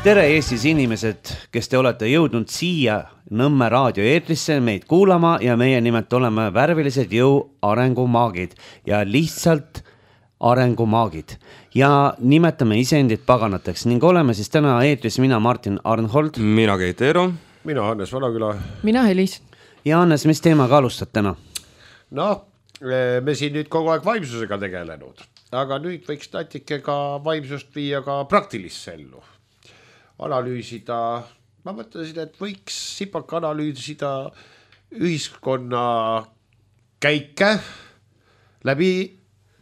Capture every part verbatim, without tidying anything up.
Tere Eestis inimesed, kes te olete jõudnud siia Nõmme raadio eetrisse meid kuulama ja meie nimelt oleme värvilised jõu arengumaagid ja lihtsalt arengumaagid ja nimetame iseendid paganateks ning oleme siis täna eetris mina Martin Arnhold, mina Keit Eero, mina Hannes Vanaküla, mina Helis. Ja Hannes, mis teemaga alustad täna? No, me siin nüüd kogu aeg vaimsusega tegelenud, aga nüüd võiks natuke ka vaimsust viia ka praktilisse ellu. Analüüsida, ma mõtlesin, et võiks sipaka analüüsida ühiskonna käike läbi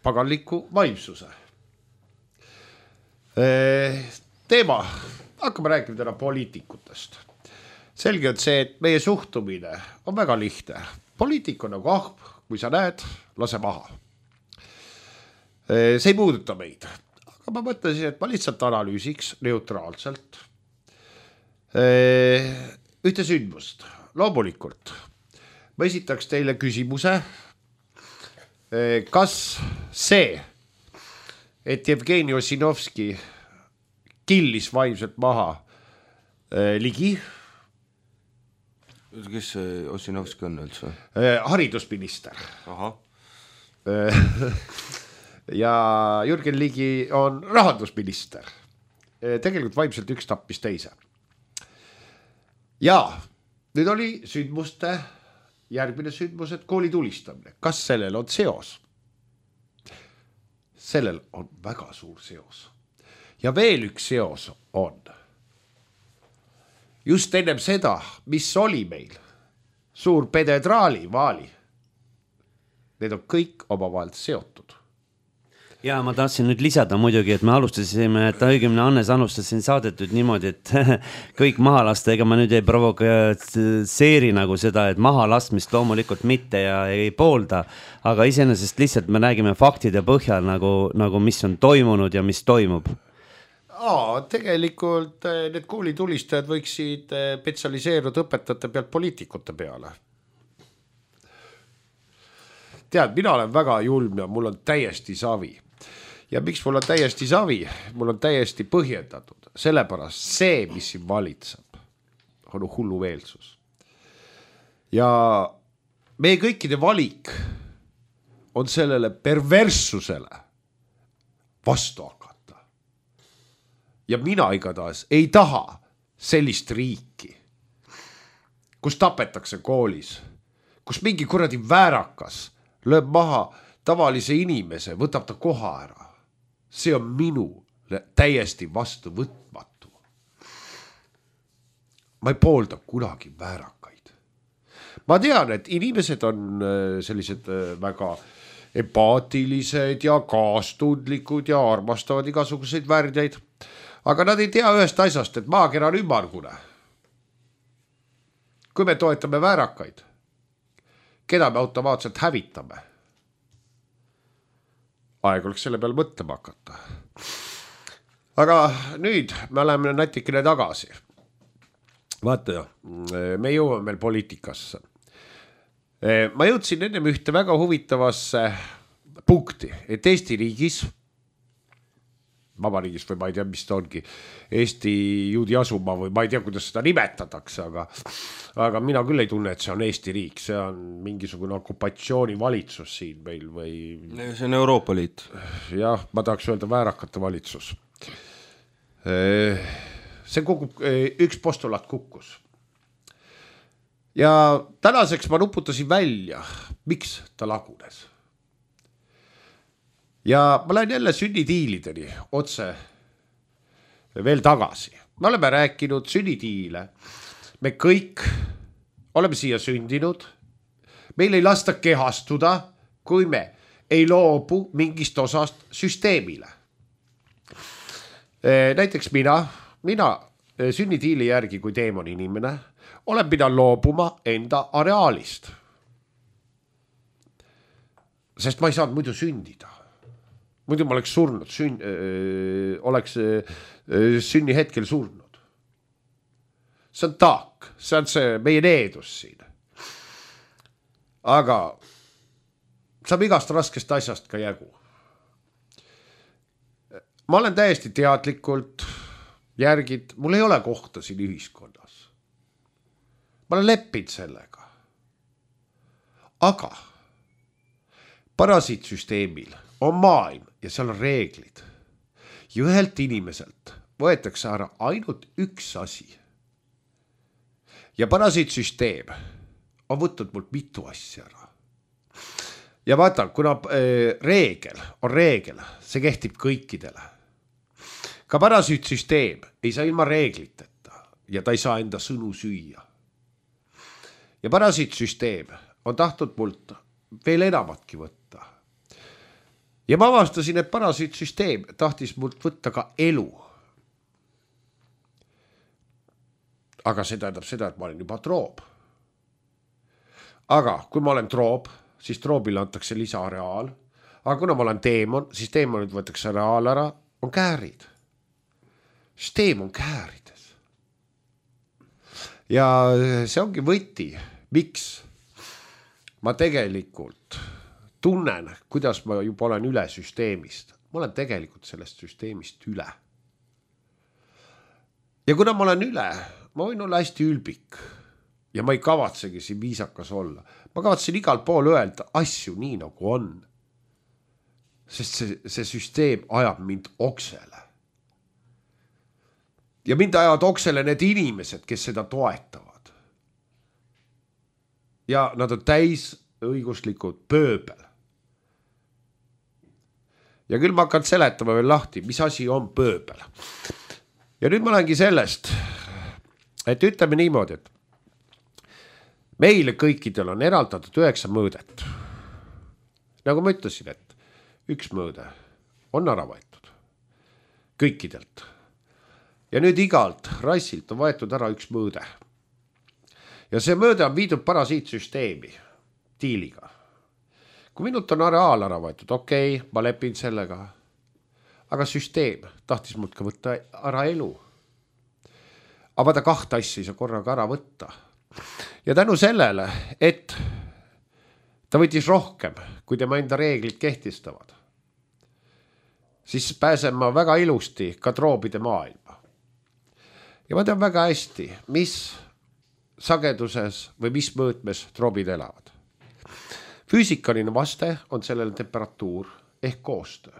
paganliku vaimsuse. Teema, hakkame rääkima täna poliitikutest. Selge on see, et meie suhtumine on väga lihtne. Poliitik on nagu ahp, kui sa näed, lase maha. See ei puuduta meid. Aga ma mõtlesin, et ma lihtsalt analüüsiks neutraalselt ühte sündmust. Loomulikult ma esitaks teile küsimuse, kas see, et Jevgeni Ossinovski killis vaimselt maha Ligi. Kes see Ossinovski on üldse? Haridusminister. Aha. Ja Jürgen Ligi on rahandusminister. Tegelikult vaimselt üks tappis teise. Ja nüüd oli sündmuste, järgmine sündmus, et kooli tulistamine. Kas sellel on seos? Sellel on väga suur seos. Ja veel üks seos on. Just ennem seda, mis oli meil, suur pededraali vaali. Need on kõik omavahel seotud. Ja ma tahtsin nüüd lisada muidugi, et me alustasime, et õigemini Hannes alustas siin saadetud niimoodi, et kõik maha lasta, ega ma nüüd ei provokatseeri nagu seda, et maha lastmist loomulikult mitte ja ei poolda, aga iseenesest lihtsalt me räägime faktide põhjal nagu, nagu mis on toimunud ja mis toimub. Aa, tegelikult need koolitulistajad võiksid spetsialiseeruda õpetajate pealt poliitikute peale. Tead, mina olen väga julm ja mul on täiesti savi. Ja miks mul on täiesti savi? Mul on täiesti põhjendatud. Sellepärast see, mis siin valitseb, on hullu veelsus. Ja meie kõikide valik on sellele perverssusele vastu hakata. Ja mina igatahes ei taha sellist riiki, kus tapetakse koolis, kus mingi kuradi väärakas lööb maha tavalise inimese, võtab ta koha ära. See on minu täiesti vastu võtmatu. Ma ei poolda kunagi väärakaid. Ma tean, et inimesed on sellised väga empaatilised ja kaastundlikud ja armastavad igasuguseid väärdeid, aga nad ei tea ühest asjast, et maakera on ümmargune. Kui me toetame väärakaid, keda me automaatselt hävitame? Aeg oleks selle peal mõtlema hakata. Aga nüüd me oleme natikene tagasi. Vaata, me jõuame meil poliitikasse. Ma jõudsin ennem ühte väga huvitavasse punkti, et Eesti riigis, vabariigis või ma ei tea, mis ta ongi, Eesti juudi asumaa või ma ei tea, kuidas seda nimetatakse, aga, aga mina küll ei tunne, et see on Eesti riik, see on mingisugune okupatsioonivalitsus siin meil või... See on Euroopa Liit. Jah, ma tahaks öelda väärakate valitsus. See kukub, üks postulaat kukkus. Ja tänaseks ma nuputasin välja, miks ta lagunes. Ja ma lähen jälle sünnitiilideni otse veel tagasi. Me oleme rääkinud sünnitiile. Me kõik oleme siia sündinud. Meil ei lasta kehastuda, kui me ei loobu mingist osast süsteemile. Näiteks mina, mina sünnitiili järgi kui teemon inimene, olen pidanud loobuma enda areaalist. Sest ma ei saanud muidu sündida. Muidu ma oleks surnud, sün, öö, oleks öö, sünni hetkel surnud. See on taak, see on see meie needus siin. Aga saab igast raskest asjast ka jägu. Ma olen täiesti teadlikult järgid, mul ei ole kohta siin ühiskonnas. Ma olen leppinud sellega. Aga parasiitsüsteemil on maailm ja seal on reeglid. Ja ühelt inimeselt võetakse ära ainult üks asi. Ja parasiitsüsteem on võtnud mult mitu asja ära. Ja vaata, kuna äh, reegel on reegel, see kehtib kõikidele. Ka parasiitsüsteem ei saa ilma reegliteta ja ta ei saa enda sõnu süüa. Ja parasiitsüsteem on tahtnud mult veel enamatki võtta. Ja ma avastasin, et parasiitsüsteem tahtis mult võtta ka elu. Aga see tähendab seda, et ma olen juba troob. Aga kui ma olen troob, siis troobile antakse lisaareaal. Aga kuna ma olen teemon, siis teemonid võetakse areaal ära, on käärid. Süsteem on käärides. Ja see ongi võti, miks ma tegelikult tunnen, kuidas ma juba olen üle süsteemist. Ma olen tegelikult sellest süsteemist üle. Ja kuna ma olen üle, ma võin olla hästi ülbik ja ma ei kavatsegi siin viisakas olla. Ma kavatsen igal pool öelda asju nii nagu on. Sest see, see süsteem ajab mind oksele. Ja mind ajavad oksele need inimesed, kes seda toetavad. Ja nad on täis õiguslikud pööbel. Ja küll ma hakkan seletama veel lahti, mis asi on pööbel. Ja nüüd ma olengi sellest, et ütleme niimoodi, et meile kõikidel on eraldatud üheksa mõõdet. Nagu ma ütlesin, et üks mõõde on ära võetud. Kõikidelt. Ja nüüd igalt rassilt on võetud ära üks mõõde. Ja see mõõde on viidud parasiitsüsteemi diiliga. Kui minult on areaal ära võetud, okei, okay, ma lepin sellega. Aga süsteem tahtis mult ka võtta ära elu. Aga ta kahta asja ei saa korraga ära võtta. Ja tänu sellele, et ta võttis rohkem, kui tema enda reeglid kehtistavad, siis pääsen ma väga ilusti ka troobide maailma. Ja ma tean väga hästi, mis sageduses või mis mõõtmes troobid elavad. Füüsikaline vaste on sellele temperatuur ehk koostöö.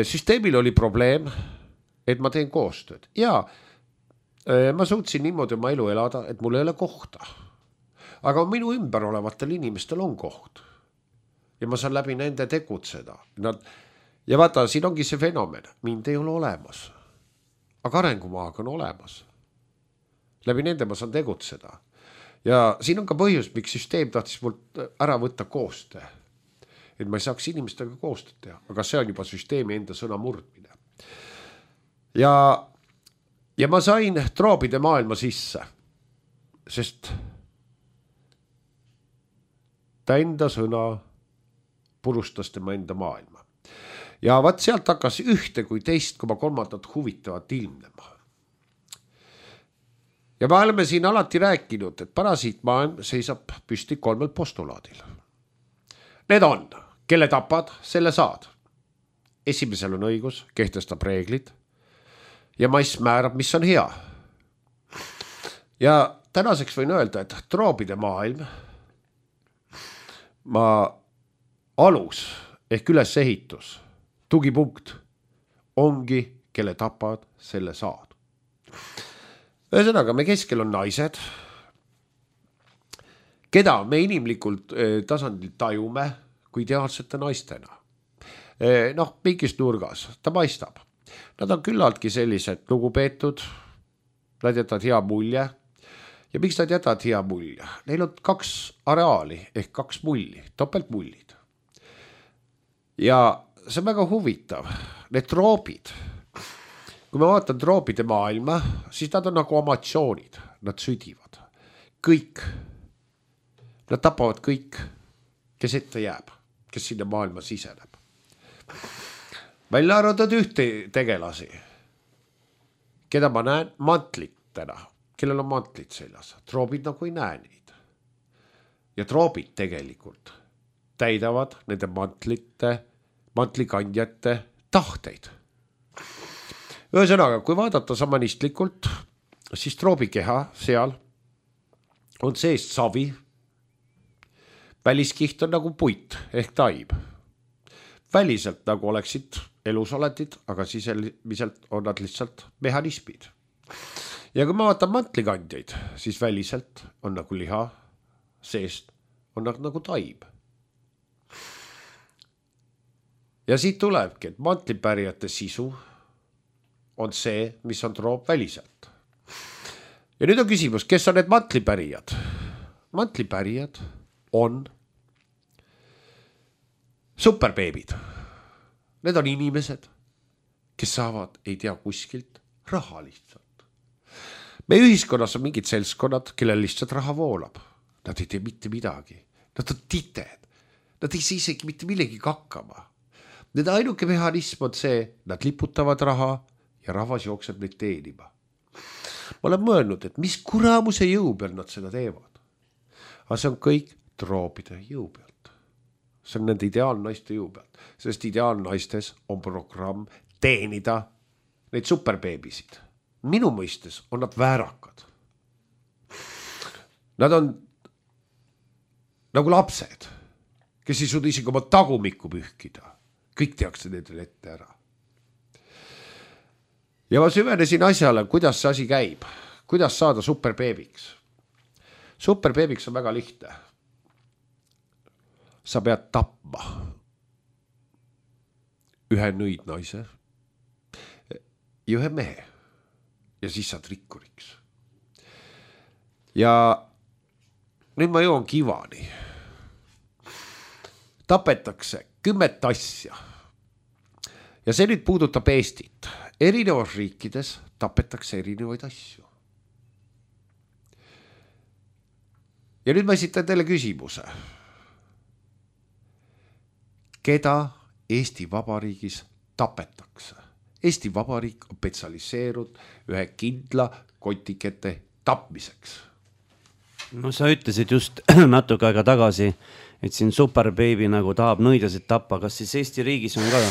Süsteemil oli probleem, et ma teen koostööd. Ja ma suutsin niimoodi oma elu elada, et mul ei ole kohta. Aga minu ümber olevatel inimestel on koht. Ja ma saan läbi nende tegutseda. Nad... Ja vaata, siin ongi see fenomen. Mind ei ole olemas. Aga arengumaaga on olemas. Läbi nende ma saan tegutseda. Ja siin on ka põhjus, miks süsteem tahtis mult ära võtta koostöö. Et ma ei saaks inimestega koostööd teha. Aga see on juba süsteemi enda sõna murdmine. Ja, ja ma sain troobide maailma sisse. Sest ta enda sõna purustas tema enda maailma. Ja vaat sealt hakkas ühte kui teist koma kolmandat huvitavat ilmnema. Ja me oleme siin alati rääkinud, et parasiitmaailm seisab püsti kolmel postulaadil. Need on, kelle tapad, selle saad. Esimesel on õigus, kehtestab reeglid ja mass määrab, mis on hea. Ja tänaseks võin öelda, et troobide maailm ma alus ehk ülesehitus, tugipunkt ongi, kelle tapad, selle saad. Ühesõnaga, me keskel on naised, keda me inimlikult tasandil tajume kui ideaalsete naistena. Noh, mingis nurgas, ta paistab. Nad on küllaltki sellised lugupeetud, nad jätavad hea mulje. Ja miks nad jätavad hea mulje? Neil on kaks areaali ehk kaks mulli, topeltmullid. Ja see on väga huvitav. Need troobid, kui ma vaatan troobide maailma, siis nad on nagu amatsioonid. Nad südivad. Kõik. Nad tapavad kõik, kes ette jääb, kes sinna maailma siseneb. Välja arvatud ühte tegelasi, keda ma näen mantlitena, kellel on mantlit seljas. Troobid nagu ei näe neid. Ja troobid tegelikult täidavad nende mantlite, mantlikandjate tahteid. ühesõnaga, kui vaadata samanistlikult, siis troobikeha seal on seest savi, väliskiht on nagu puit ehk taib. Väliselt nagu oleksid elusoletid, aga sisemiselt on nad lihtsalt mehhanismid. Ja kui ma vaatan mantlikandjaid, siis väliselt on nagu liha, seest on nagu taib. Ja siit tulebki, et mantlipärijate sisu on see, mis on troop väliselt. Ja nüüd on küsimus, kes on need mantlipärijad? Mantlipärijad on superbeebid. Need on inimesed, kes saavad, ei tea kuskilt, raha lihtsalt. Meie ühiskonnas on mingid seltskonnad, kellel lihtsalt raha voolab. Nad ei tee mitte midagi. Nad on tited. Nad ei saa isegi mitte millegi hakkama. Need ainuke mehhanism on see, nad liputavad raha ja rahvas jookseb neid teenima. Ma olen mõelnud, et mis kuramuse jõu peal nad seda teevad. Aga see on kõik troopide jõu pealt. See on nende ideaalnaiste jõu pealt. Sest ideaalnaistes on programm teenida neid superbeebisid. Minu mõistes on nad väärakad. Nad on nagu lapsed, kes ei suuda isegi oma tagumikku pühkida. Kõik tehakse nendele ette ära. Ja ma süvenesin asjale, kuidas see asi käib. Kuidas saada superbeebiks. Superbeebiks on väga lihtne. Sa pead tapma ühe nõidnaise ja ühe mehe. Ja siis saad rikkuriks. Ja nüüd ma jõuan kivani. Tapetakse kümmet asja. Ja see nüüd puudutab Eestit. Erinevas riikides tapetakse erinevaid asju. Ja nüüd ma esitan teile küsimuse. Keda Eesti Vabariigis tapetakse? Eesti Vabariik on spetsialiseerunud ühe kindla kotikete tapmiseks. No sa ütlesid just natuke aega tagasi, et siin superbeebi nagu tahab nõidasid tappa. Kas siis Eesti riigis on ka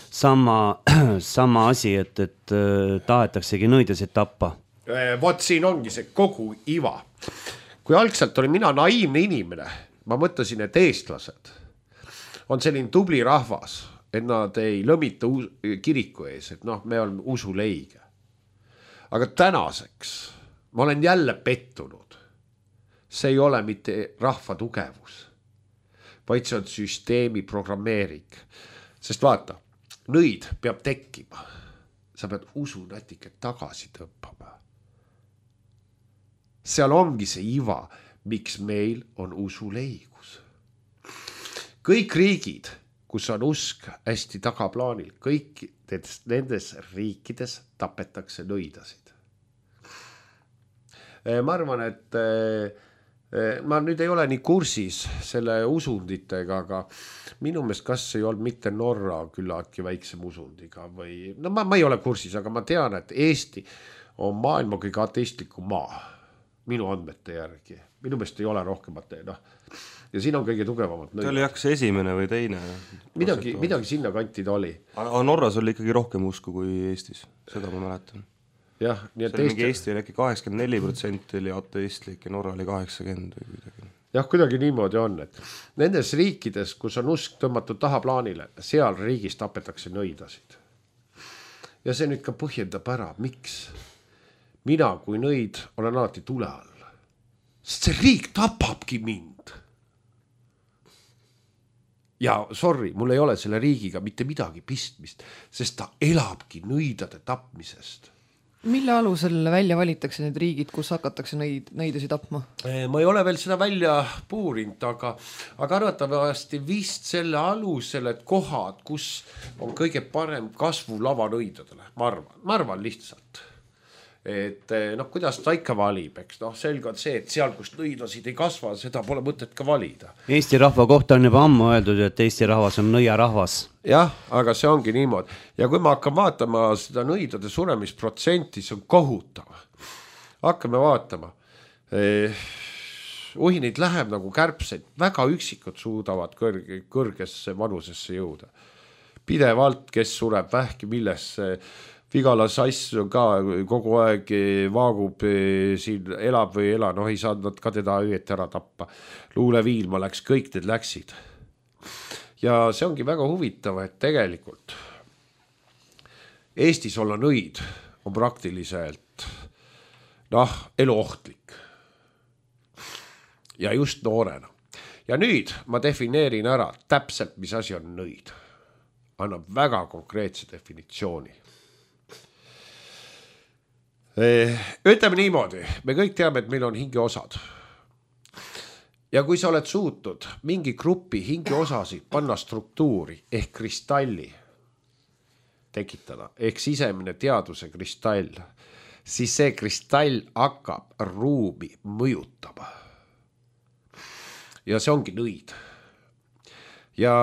sama, sama asi, et, et tahetaksegi nõidasid tappa? Vot siin ongi see kogu iva. Kui algselt oli mina naiivne inimene, ma mõtlesin, et eestlased on selline tubli rahvas, et nad ei lõmita kiriku ees, et noh, me oleme usuleige. Aga tänaseks ma olen jälle pettunud. See ei ole mitte rahva tugevus, vaid see on süsteemi programmeering. Sest vaata, nõid peab tekkima. Sa pead usu natuke tagasi tõppama. Seal ongi see iva, miks meil on usuleigus. Kõik riigid, kus on usk hästi tagaplaanil, kõik nendes riikides tapetakse nõidasid. Ma arvan, et ma nüüd ei ole nii kursis selle usunditega, aga minu meelest kas ei olnud mitte Norra küllaltki väiksem usundiga või, no ma, ma ei ole kursis, aga ma tean, et Eesti on maailma kõige ateistlikum maa, minu andmete järgi. Minu meelest ei ole rohkemat, noh. Ja siin on kõige tugevamad nõid. Ta oli jaks esimene või teine. Midagi, midagi sinna kanti ta oli. Aga Norras oli ikkagi rohkem usku kui Eestis, seda ma mäletan. Jah, nii et see oli Eesti... Eesti oli äkki kaheksakümmend neli protsenti oli ateistlik ja Norra oli kaheksakümmend või kuidagi. Jah, kuidagi niimoodi on, et nendes riikides, kus on usk tõmmatud tahaplaanile, seal riigis tapetakse nõidasid. Ja see nüüd ka põhjendab ära, miks mina kui nõid olen alati tule all. Sest see riik tapabki mind. Ja sorry, mul ei ole selle riigiga mitte midagi pistmist, sest ta elabki nõidade tapmisest. Mille alusel välja valitakse need riigid, kus hakatakse nõid, nõidasi tapma? Ma ei ole veel seda välja puurinud, aga, aga arvatavasti vist selle alusel, et kohad, kus on kõige parem kasvu lava nõidadele. Ma arvan, ma arvan lihtsalt. Et noh, kuidas ta ikka valib, eks noh, selge on see, et seal, kus nõidasid ei kasva, seda pole mõtet ka valida. Eesti rahva kohta on juba ammu öeldud, et Eesti rahvas on nõia rahvas. Jah, aga see ongi niimoodi. Ja kui ma hakkan vaatama seda nõidade suremisprotsenti, see on kohutav. Hakkame vaatama. Eh, uhinid läheb nagu kärpseid, väga üksikud suudavad kõrge, kõrgesse vanusesse jõuda. Pidevalt, kes sureb vähki, millesse Vigala sass ka kogu aeg vaagub siin, elab või ei ela, noh ei saanud ka teda õieti ära tappa. Luule Viilma läks, kõik need läksid. Ja see ongi väga huvitav, et tegelikult Eestis olla nõid on praktiliselt noh, eluohtlik. Ja just noorena. Ja nüüd ma defineerin ära täpselt, mis asi on nõid. Annab väga konkreetse definitsiooni. Ütleme niimoodi, me kõik teame, et meil on hingeosad. Ja kui sa oled suutnud mingi grupi hingeosasid panna struktuuri ehk kristalli tekitada, ehk sisemine teaduse kristall, siis see kristall hakkab ruumi mõjutama. Ja see ongi nõid. Ja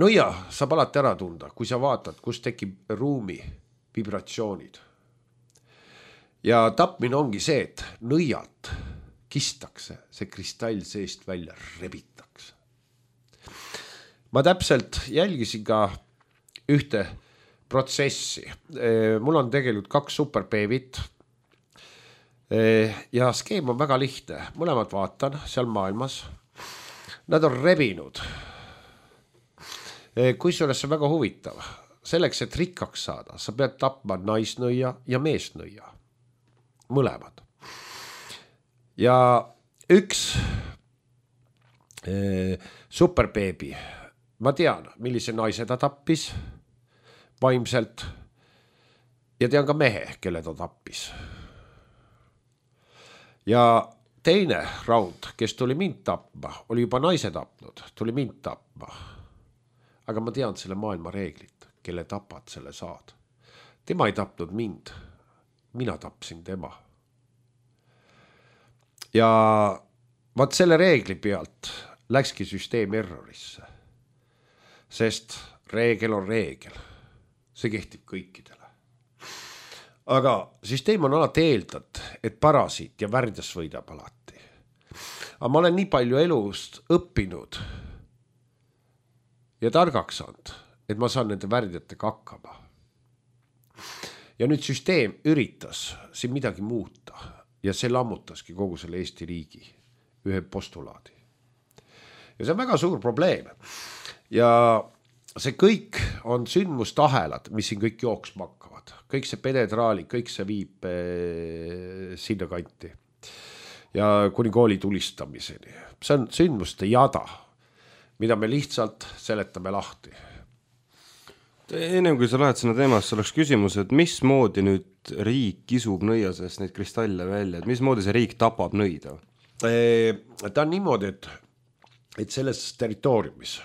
nõia saab alati ära tunda, kui sa vaatad, kus tekib ruumi vibratsioonid. Ja tapmine ongi see, et nõialt kistakse, see kristall seest välja rebitakse. Ma täpselt jälgisin ka ühte protsessi. Mul on tegelikult kaks superbeebit ja skeem on väga lihtne. Mõlemad vaatan seal maailmas. Nad on rebinud. Kui sellest on väga huvitav. Selleks, et rikkaks saada, sa pead tapma naisnõia ja meesnõia. Mõlemad. Ja üks eh, superbeebi, ma tean, millise naise ta tappis vaimselt ja tean ka mehe, kelle ta tappis. Ja teine raund, kes tuli mind tapma, oli juba naise tapnud, tuli mind tapma. Aga ma tean selle maailma reeglit, kelle tapad, selle saad. Tema ei tapnud mind, mina tapsin tema. Ja vaat selle reegli pealt läkski süsteem errorisse. Sest reegel on reegel. See kehtib kõikidele. Aga süsteem on alati eeldanud, et parasiit ja värdjas võidab alati. Aga ma olen nii palju elust õppinud ja targaks saanud, et ma saan nende värdjatega hakkama. Ja nüüd süsteem üritas siin midagi muuta. Ja see lammutaski kogu selle Eesti riigi ühe postulaadi. Ja see on väga suur probleem. Ja see kõik on sündmustahelad, mis siin kõik jooksma hakkavad. Kõik see pedetraali, kõik see viib eh, sinna kanti. Ja kuni kooli tulistamiseni. See on sündmuste jada, mida me lihtsalt seletame lahti. Ennem kui sa lähed sinna teemasse, oleks küsimus, et mis moodi nüüd riik kisub nõiasest neid kristalle välja, et mis moodi see riik tapab nõida? Ta on niimoodi, et, et selles territooriumis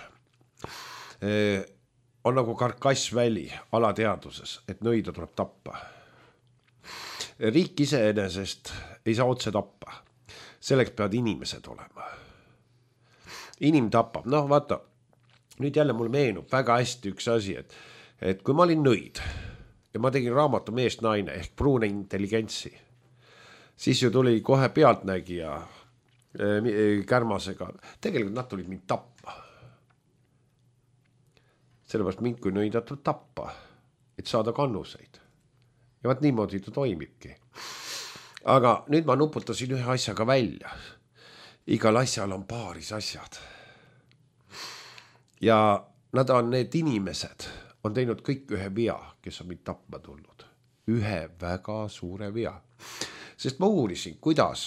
on nagu karkassväli alateaduses, et nõida tuleb tappa. Riik iseenesest ei saa otse tappa. Selleks peavad inimesed olema. Inim tapab, noh vaata, nüüd jälle mul meenub väga hästi üks asi, et, et kui ma olin nõid ja ma tegin raamatu Meest naine ehk pruune intelligentsi, siis ju tuli kohe pealtnägija äh, kärmasega. Tegelikult nad tulid mind tappa. Sellepärast mind kui nõida tuleb tappa, et saada kannuseid. Ja vaat niimoodi ta toimibki. Aga nüüd ma nuputasin ühe asjaga välja. Igal asjal on paaris asjad. Ja nad on need inimesed, on teinud kõik ühe vea, kes on mind tapma tulnud. Ühe väga suure vea. Sest ma uurisin, kuidas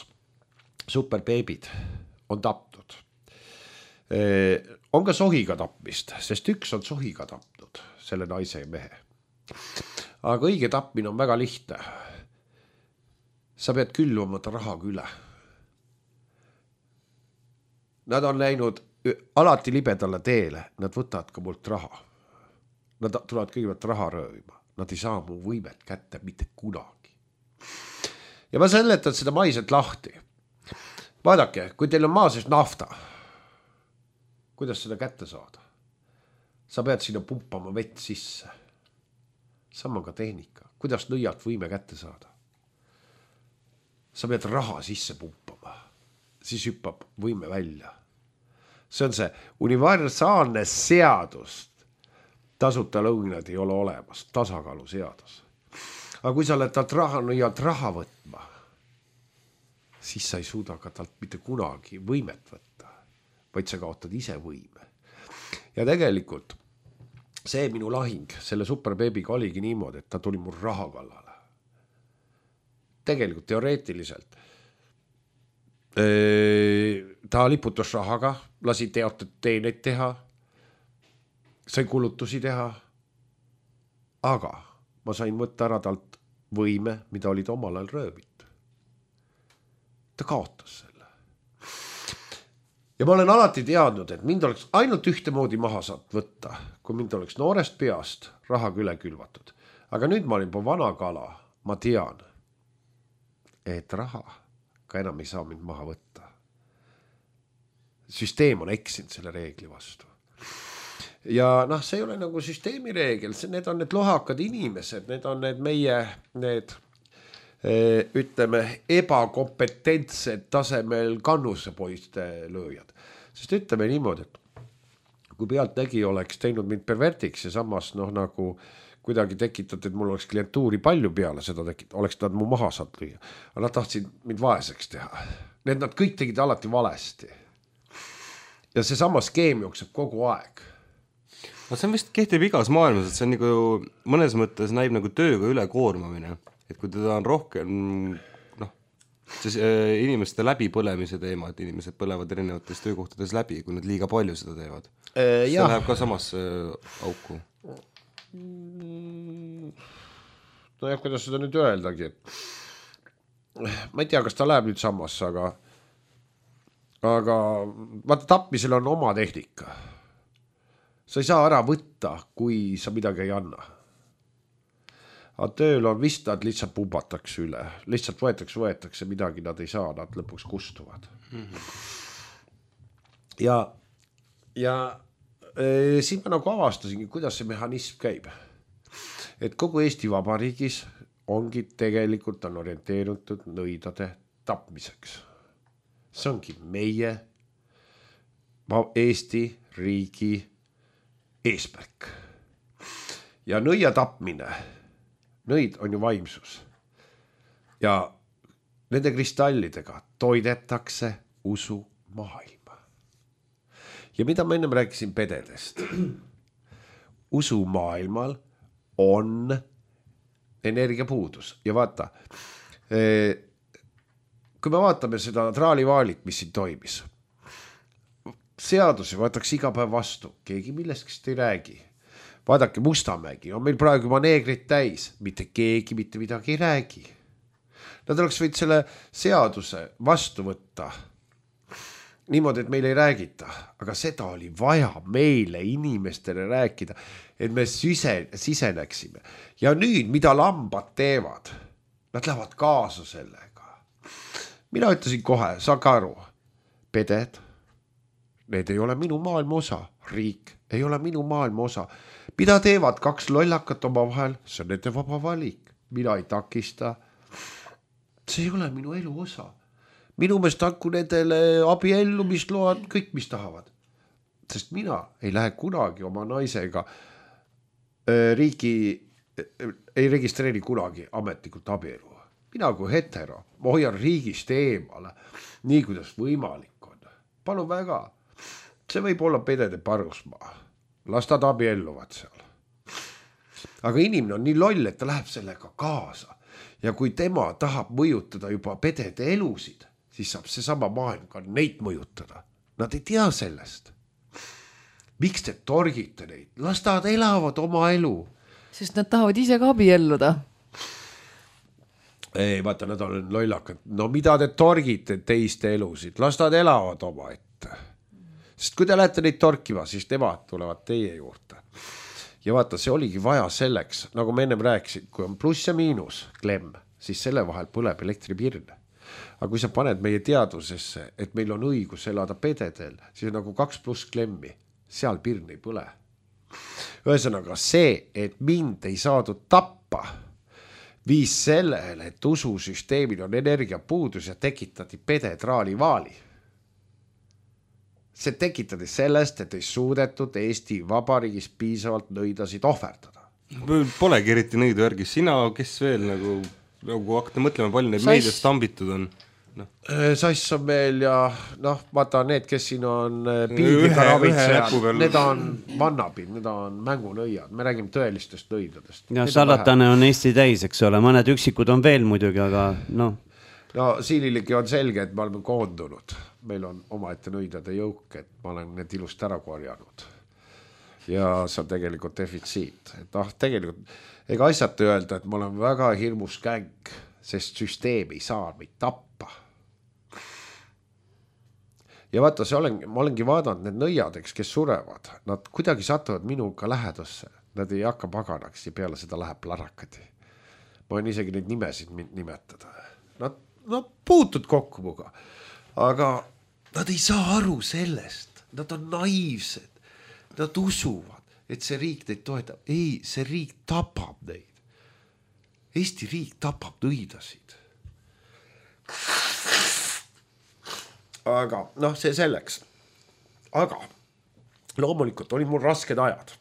superbeebid on taptud. On ka sohiga tapmist, sest üks on sohiga tapnud, selle naise ja mehe. Aga õige tapmine on väga lihtne. Sa pead külvamata rahaga üle. Nad on läinud alati libedale teele, nad võtavad ka mult raha. Nad tulevad kõigepealt raha röövima. Nad ei saa mu võimet kätte mitte kunagi. Ja ma seletan seda maiselt lahti. Vaadake, kui teil on maa sees nafta, kuidas seda kätte saada? Sa pead sinna pumpama vett sisse. Sama ka tehnika. Kuidas nõialt võime kätte saada? Sa pead raha sisse pumpama. Siis hüppab võime välja. See on see universaalne seadust. tasuta lõunad ei ole olemas, tasakaalu seadus. Aga kui sa oled talt raha nõialt raha võtma, siis sa ei suuda ka talt mitte kunagi võimet võtta, vaid sa kaotad ise võime. Ja tegelikult see minu lahing selle superbeebiga oligi niimoodi, et ta tuli mul raha kallale. Tegelikult teoreetiliselt ta liputus rahaga, lasi teatud teeneid teha, sai kulutusi teha, aga ma sain võtta ära talt võime, mida olid omal ajal röövit. Ta kaotas selle. Ja ma olen alati teadnud, et mind oleks ainult ühte moodi maha saad võtta, kui mind oleks noorest peast rahaga üle külvatud. Aga nüüd ma olin po vana kala, ma tean, et raha ka enam ei saa mind maha võtta. Süsteem on eksinud selle reegli vastu. Ja noh, see ei ole nagu süsteemi reegel, need on need lohakad inimesed, need on need meie, need ütleme, ebakompetentsed tasemel kannusepoiste lööjad. Sest ütleme niimoodi, et kui pealtnägi oleks teinud mind pervertiks ja samas noh nagu kuidagi tekitat, et mul oleks klientuuri palju peale seda tekitat, oleks nad mu maha saad lüüa. Aga nad tahtsid mind vaeseks teha. Need nad kõik tegid alati valesti. Ja see sama skeem jookseb kogu aeg. No see on vist kehtib igas maailmas, et see on nagu mõnes mõttes näib nagu tööga ülekoormamine. Et kui teda on rohkem, noh, siis äh, inimeste läbipõlemise teema, et inimesed põlevad erinevates töökohtades läbi, kui nad liiga palju seda teevad. Äh, see läheb ka samasse äh, auku. No jah, kuidas seda nüüd öeldagi, et ma ei tea, kas ta läheb nüüd samasse, aga aga vaata, tapmisel on oma tehnika. Sa ei saa ära võtta, kui sa midagi ei anna. Aga tööl on vist, nad lihtsalt pubatakse üle. Lihtsalt võetakse, võetakse midagi, nad ei saa, nad lõpuks kustuvad. Mm-hmm. Ja, ja e, siin ma nagu avastasingi, kuidas see mehhanism käib. Et kogu Eesti Vabariigis ongi tegelikult on orienteeritud nõidade tapmiseks. See ongi meie Eesti riigi eesmärk. Ja nõia tapmine, nõid on ju vaimsus. Ja nende kristallidega toidetakse usu maailma. Ja mida ma ennem rääkisin pededest? Usu maailmal on energiapuudus. Ja vaata, kui me vaatame seda traalivaalit, mis siin toimis, seadusi võetakse iga päev vastu, keegi millestki ei räägi. Vaadake Mustamägi, on meil praegu juba neegrid täis, mitte keegi mitte midagi ei räägi. Nad oleks võid selle seaduse vastu võtta niimoodi, et meil ei räägita, aga seda oli vaja meile inimestele rääkida, et me sise, siseneksime. Ja nüüd, mida lambad teevad, nad lähevad kaasa sellega. Mina ütlesin kohe, saage aru, peded, need ei ole minu maailma osa, riik ei ole minu maailma osa. Mida teevad kaks lollakat oma vahel, see on nende vaba valik, mina ei takista. See ei ole minu elu osa. Minu meest hakku nendele abiellumisload, kõik mis tahavad. Sest mina ei lähe kunagi oma naisega äh, riigi, äh, ei registreeri kunagi ametlikult abielu. Mina kui hetero, ma hoian riigist eemale, nii kuidas võimalik on. Palun väga, see võib olla pedede parusmaa. Las nad abielluvad seal. Aga inimene on nii loll, et ta läheb sellega kaasa. Ja kui tema tahab mõjutada juba pedede elusid, siis saab see sama maailm ka neid mõjutada. Nad ei tea sellest. Miks te torgite neid? Las nad elavad oma elu. Sest nad tahavad ise ka abielluda. Ei, vaata, nad on lollakad. No mida te torgite teiste elusid? Las nad elavad oma ette. Sest kui te lähete neid torkima, siis nemad tulevad teie juurde. Ja vaata, see oligi vaja selleks, nagu me ennem rääkisin, kui on pluss ja miinus klemm, siis selle vahel põleb elektripirne. Aga kui sa paned meie teadvusesse, et meil on õigus elada pededel, siis on nagu kaks pluss klemmi, seal pirn ei põle. Ühesõnaga see, et mind ei saadud tappa, viis sellele, et ususüsteemil on energiapuudus ja tekitati pedetraali vaali. see tekitades sellest, et ei suudetud Eesti Vabariigis piisavalt nõidasid ohverdada. Polegi eriti nõidu järgi, sina, kes veel nagu, nagu hakata mõtlema, palju neid Sais... meediast tambitud on? No. Sass on meil ja noh, vaata need, kes siin on piibliga ravitsejad, need on vannapid, need on mängunõiad, me räägime tõelistest nõidadest. Ja salatane on Eesti täis, eks ole, mõned üksikud on veel muidugi, aga noh. No siililegi on selge, et me oleme koondunud, meil on omaette nõidade jõuk, et ma olen need ilust ära korjanud ja see on tegelikult defitsiit, et ah, tegelikult ega asjata öelda, et ma olen väga hirmus käng, sest süsteem ei saa meid tappa. Ja vaata, see olen, ma olengi vaadanud need nõiadeks, kes surevad, nad kuidagi satuvad minuga lähedusse, nad ei hakka paganaks ja peale seda läheb larakadi. Ma võin isegi neid nimesid nimetada. Nad, nad puutud kokku muga, aga nad ei saa aru sellest, nad on naiivsed, nad usuvad, et see riik neid toetab. Ei, see riik tapab neid. Eesti riik tapab nõidasid. Aga noh, see selleks. Aga loomulikult olid mul rasked ajad.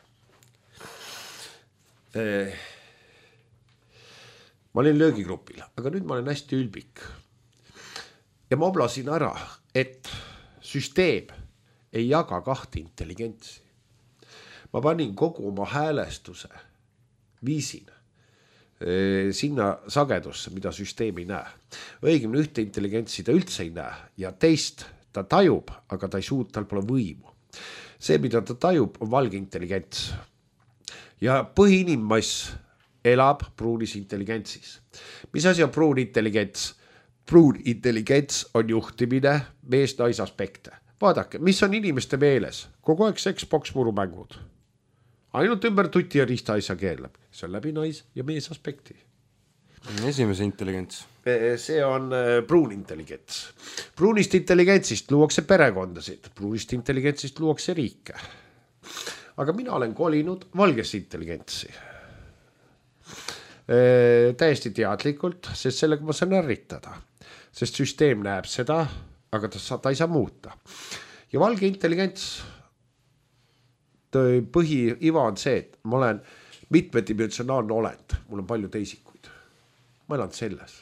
Ma olin löögigrupil, aga nüüd ma olen hästi ülbik. Ja ma oblasin ära, et süsteem ei jaga kahte intelligentsi. Ma panin kogu oma häälestuse, viisin sinna sagedusse, mida süsteem ei näe. Õigemini ühte intelligentsi ta üldse ei näe ja teist ta tajub, aga ta ei suud, tal pole võimu. See, mida ta tajub, on valge intelligents. Ja põhiinimmass elab pruunis intelligentsis. Mis asi on pruun intelligents? Pruun intelligents on juhtimine mees-nais aspekte. Vaadake, mis on inimeste meeles? Kogu aeg Xbox murumängud. Ainult ümber tuti ja riista asja keerleb. See on läbi nais ja mees aspekti. Esimese intelligents. See on pruun intelligents. Pruunist intelligentsist luuakse perekondasid. Pruunist intelligentsist luuakse riike. Aga mina olen kolinud valgesse intelligentsi. Täiesti teadlikult, sest sellega ma saan ärritada. Sest süsteem näeb seda, aga ta, ta ei saa muuta. Ja valge intelligents põhiiva on see, et ma olen mitmedimensionaalne olend, mul on palju teisikuid. Ma elan selles.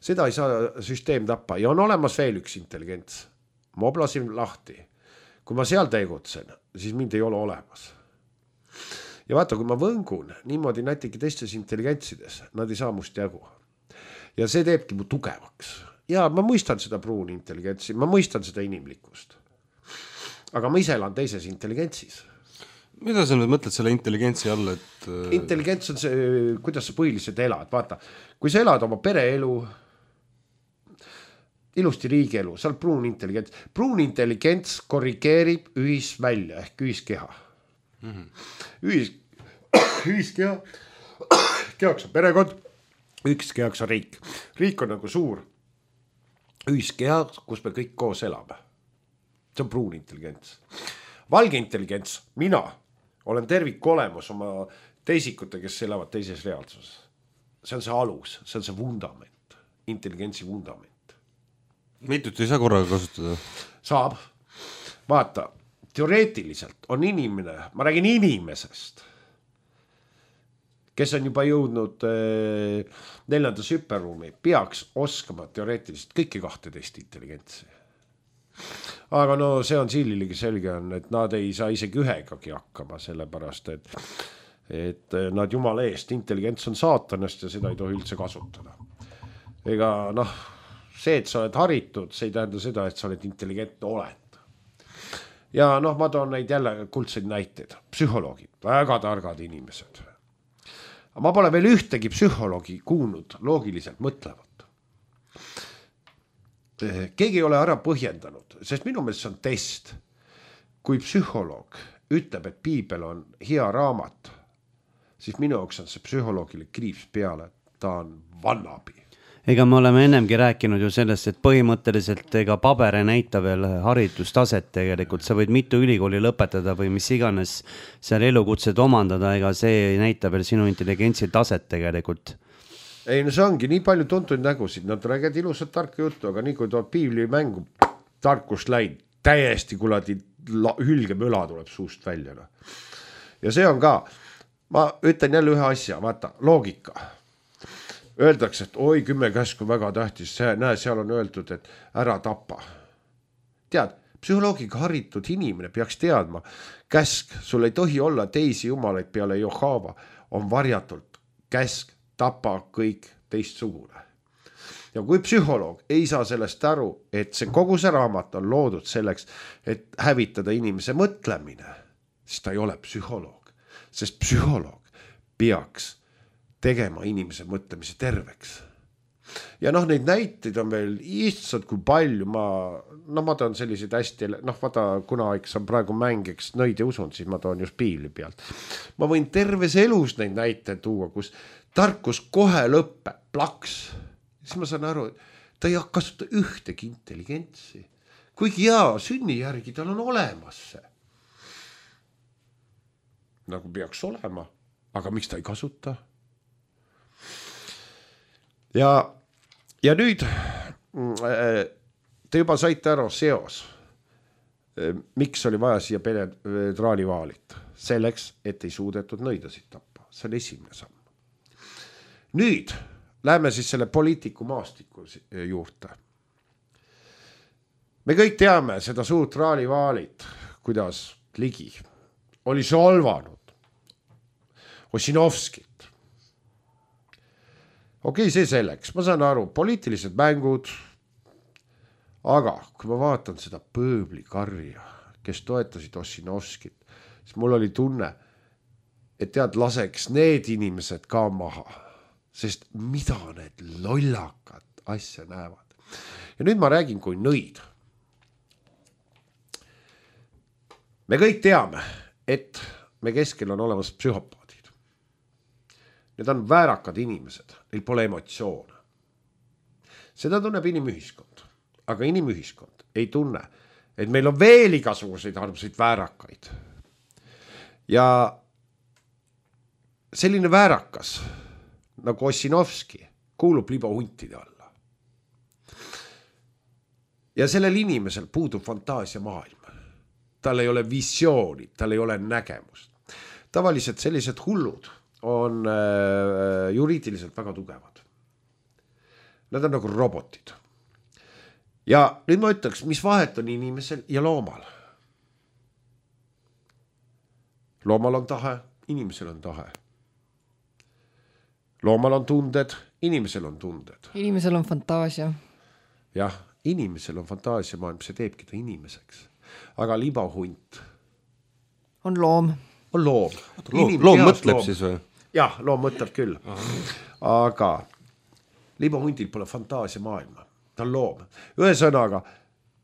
Seda ei saa süsteem tappa ja on olemas veel üks intelligents. Ma oblasin lahti. Kui ma seal tegutsen, siis mind ei ole olemas. Ja vaata, kui ma võngun niimoodi näitegi teistes intelligentsides, nad ei saa must jagu. Ja see teebki mu tugevaks. Ja ma mõistan seda pruuni intelligentsi, ma mõistan seda inimlikkust. Aga ma ise elan teises intelligentsis. Mida sa nüüd mõtled selle intelligentsi all, et... Intelligents on see, kuidas sa põhiliselt elad. Vaata, kui sa elad oma pereelu, ilusti riigielu, sa oled pruun intelligents. Pruun intelligents korrigeerib ühisvälja ehk ühiskeha. Mm-hmm. Ühis, ühiskeha, kehaks on perekond, üks kehaks on riik. Riik on nagu suur ühiskeha, kus me kõik koos elame. See on pruun intelligents. Valge intelligents, mina olen tervik olemas oma teisikute, kes elavad teises reaalsuses. See on see alus, see on see vundament, intelligentsi vundament. Mitut ei saa korraga kasutada? Saab. Vaata, teoreetiliselt on inimene, ma räägin inimesest, kes on juba jõudnud eh, neljandas hüperruumi, peaks oskama teoreetiliselt kõiki kahteteist intelligentsi. Aga no see on siililegi selge on, et nad ei saa isegi ühegagi hakkama, sellepärast, et, et nad jumala eest, intelligents on saatanast ja seda ei tohi üldse kasutada. Ega noh, see, et sa oled haritud, see ei tähenda seda, et sa oled intelligentne olend. Ja noh, ma toon neid jälle kuldseid näiteid. Psühholoogid, väga targad inimesed. Ma pole veel ühtegi psühholoogi kuulnud loogiliselt mõtlevat. Keegi ei ole ära põhjendanud, sest minu meelest see on test. Kui psühholoog ütleb, et piibel on hea raamat, siis minu jaoks on see psühholoogile kriips peale, ta on vannabi. Ega me oleme ennemgi rääkinud ju sellest, et põhimõtteliselt ega paber ei näita veel haridustaset tegelikult. Sa võid mitu ülikooli lõpetada või mis iganes seal elukutsed omandada, ega see ei näita veel sinu intelligentsi taset tegelikult. Ei, no see ongi nii palju tuntuid nägusid, nad räägivad ilusat tarka juttu, aga nii kui tood piibli mängu tarkust läinud, täiesti kuladi hülgemüla tuleb suust välja. No. Ja see on ka, ma ütlen jälle ühe asja, vaata, loogika. Öeldakse, et oi, kümme käsku väga tähtis, see, näe, seal on öeldud, et ära tapa. Tead, psühholoogiga haritud inimene peaks teadma, käsk, sul ei tohi olla teisi jumalaid peale Johava, on varjatult käsk, tapa kõik teistsugune. Ja kui psühholoog ei saa sellest aru, et see kogu see raamat on loodud selleks, et hävitada inimese mõtlemine, siis ta ei ole psühholoog, sest psühholoog peaks tegema inimese mõtlemise terveks. Ja noh, neid näiteid on veel issad kui palju, ma, no ma toon selliseid hästi, noh vaata, kuna eks on praegu mängiks nõid ja usund, siis ma toon just piibli pealt. Ma võin terves elus neid näiteid tuua, kus tarkus kohe lõppe, plaks. Siis ma saan aru, et ta ei kasuta ühtegi intelligentsi. Kuigi jaa, sünni järgi tal on olemas see. Nagu peaks olema, aga miks ta ei kasuta? Ja, ja nüüd te juba saite aru seos, miks oli vaja siia penetraalivaalit. Selleks, et ei suudetud nõidasid tappa. See on esimene samm. Nüüd läheme siis selle poliitiku maastiku juurde. Me kõik teame seda suurt raalivaalit, kuidas Ligi oli solvanud Ossinovskit. Okei, see selleks, ma saan aru, poliitilised mängud, aga kui ma vaatan seda pööblikarja, kes toetasid Ossinovskit, siis mul oli tunne, et tead, laseks need inimesed ka maha, sest mida need lollakad asja näevad. Ja nüüd ma räägin kui nõid. Me kõik teame, et me keskel on olemas psühhopaadid. Need on väärakad inimesed, neil pole emotsioone. Seda tunneb inimühiskond, aga inimühiskond ei tunne, et meil on veel igasuguseid armsaid väärakaid. Ja selline väärakas, nagu Ossinovski, kuulub libahuntide alla. Ja sellel inimesel puudub fantaasia maailm. Tal ei ole visiooni, tal ei ole nägemust. Tavaliselt sellised hullud on äh, juriidiliselt väga tugevad. Nad on nagu robotid. Ja nüüd ma ütleks, mis vahet on inimesel ja loomal. Loomal on tahe, inimesel on tahe. Loomal on tunded, inimesel on tunded. Inimesel on fantaasia. Jah, inimesel on fantaasia maailm, see teebki ta inimeseks. Aga libahunt on loom. On loom. Loom, loom mõtleb loom. Siis või? Jah, loom mõtleb küll. Aha. Aga libahundil pole fantaasia maailma. Ta on loom. Ühesõnaga,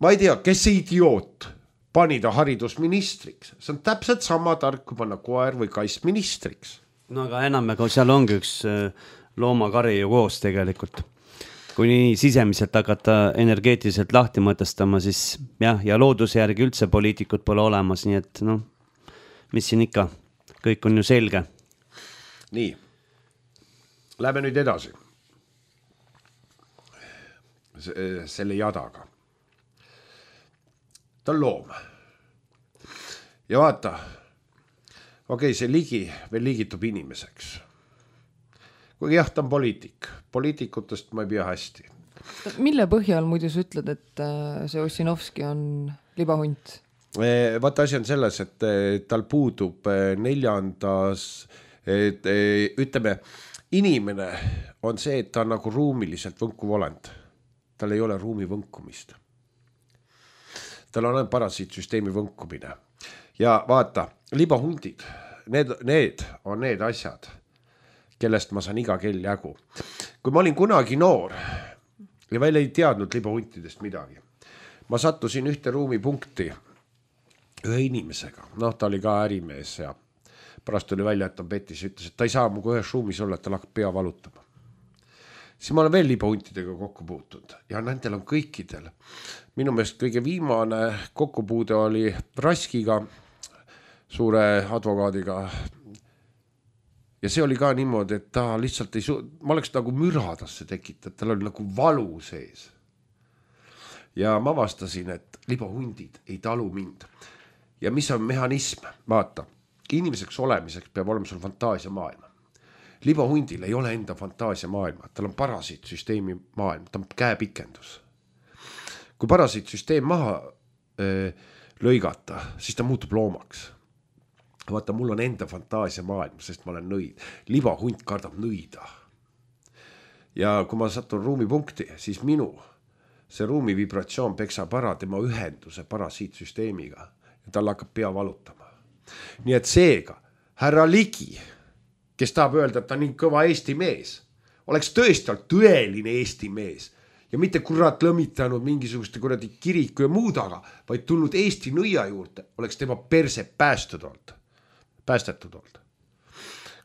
ma ei tea, kes see idioot pani ta haridusministriks. See on täpselt sama tark, kui panna koer või kass ministriks. No aga enam, aga seal ongi üks loomakari ju koos tegelikult. Kui nii sisemiselt hakata energeetiliselt lahti mõtestama, siis jah, ja looduse järgi üldse poliitikud pole olemas, nii et noh, mis siin ikka, kõik on ju selge. Nii, lähme nüüd edasi. Selle jadaga. Ta on loom. Ja vaata, okei, see Ligi veel liigitub inimeseks. Kuigi jah, ta on poliitik. Poliitikutest ma ei pea hästi. Mille põhjal muidu sa ütled, et see Ossinovski on libahunt? Vaata, asi on selles, et tal puudub neljandas, et, ütleme, inimene on see, et ta on nagu ruumiliselt võnkuv olend. Tal ei ole ruumi võnkumist. Tal on parasiitsüsteemi võnkumine. Ja vaata, libahundid, need, need on need asjad, kellest ma saan iga kell jagu. Kui ma olin kunagi noor ja veel ei teadnud libahuntidest midagi, ma sattusin ühte ruumipunkti ühe inimesega. Noh, ta oli ka ärimees ja pärast oli välja, et ta petis ja ütles, et ta ei saa mugu ühes ruumis olla, et ta hakkab pea valutama. Siis ma olen veel libahuntidega kokku puutunud ja nendel on kõikidel. Minu meelest kõige viimane kokkupuude oli Raskiga, suure advokaadiga. Ja see oli ka niimoodi, et ta lihtsalt ei su-, ma oleks nagu müradasse tekitanud, tal oli nagu valu sees. ja ma avastasin, et libahundid ei talu mind. Ja mis on mehhanism? Vaata, inimeseks olemiseks peab olema sul fantaasia maailma. Libahundil ei ole enda fantaasia maailma, tal on parasiitsüsteemi maailm, ta on käepikendus. Kui parasiitsüsteem maha öö, lõigata, siis ta muutub loomaks. Vaata, mul on enda fantaasia maailm, sest ma olen nõid. Libahunt kardab nõida. Ja kui ma satun ruumipunkti, siis minu see ruumi vibratsioon peksab ära tema ühenduse parasiitsüsteemiga ja tal hakkab pea valutama. Nii et seega, härra Ligi, kes tahab öelda, et ta nii kõva Eesti mees, oleks tõesti tõeline Eesti mees ja mitte kurat lõmitanud mingisuguste kuradi kiriku ja muud aga, vaid tulnud Eesti nõia juurde, oleks tema perse päästud olnud. Päästetud olnud.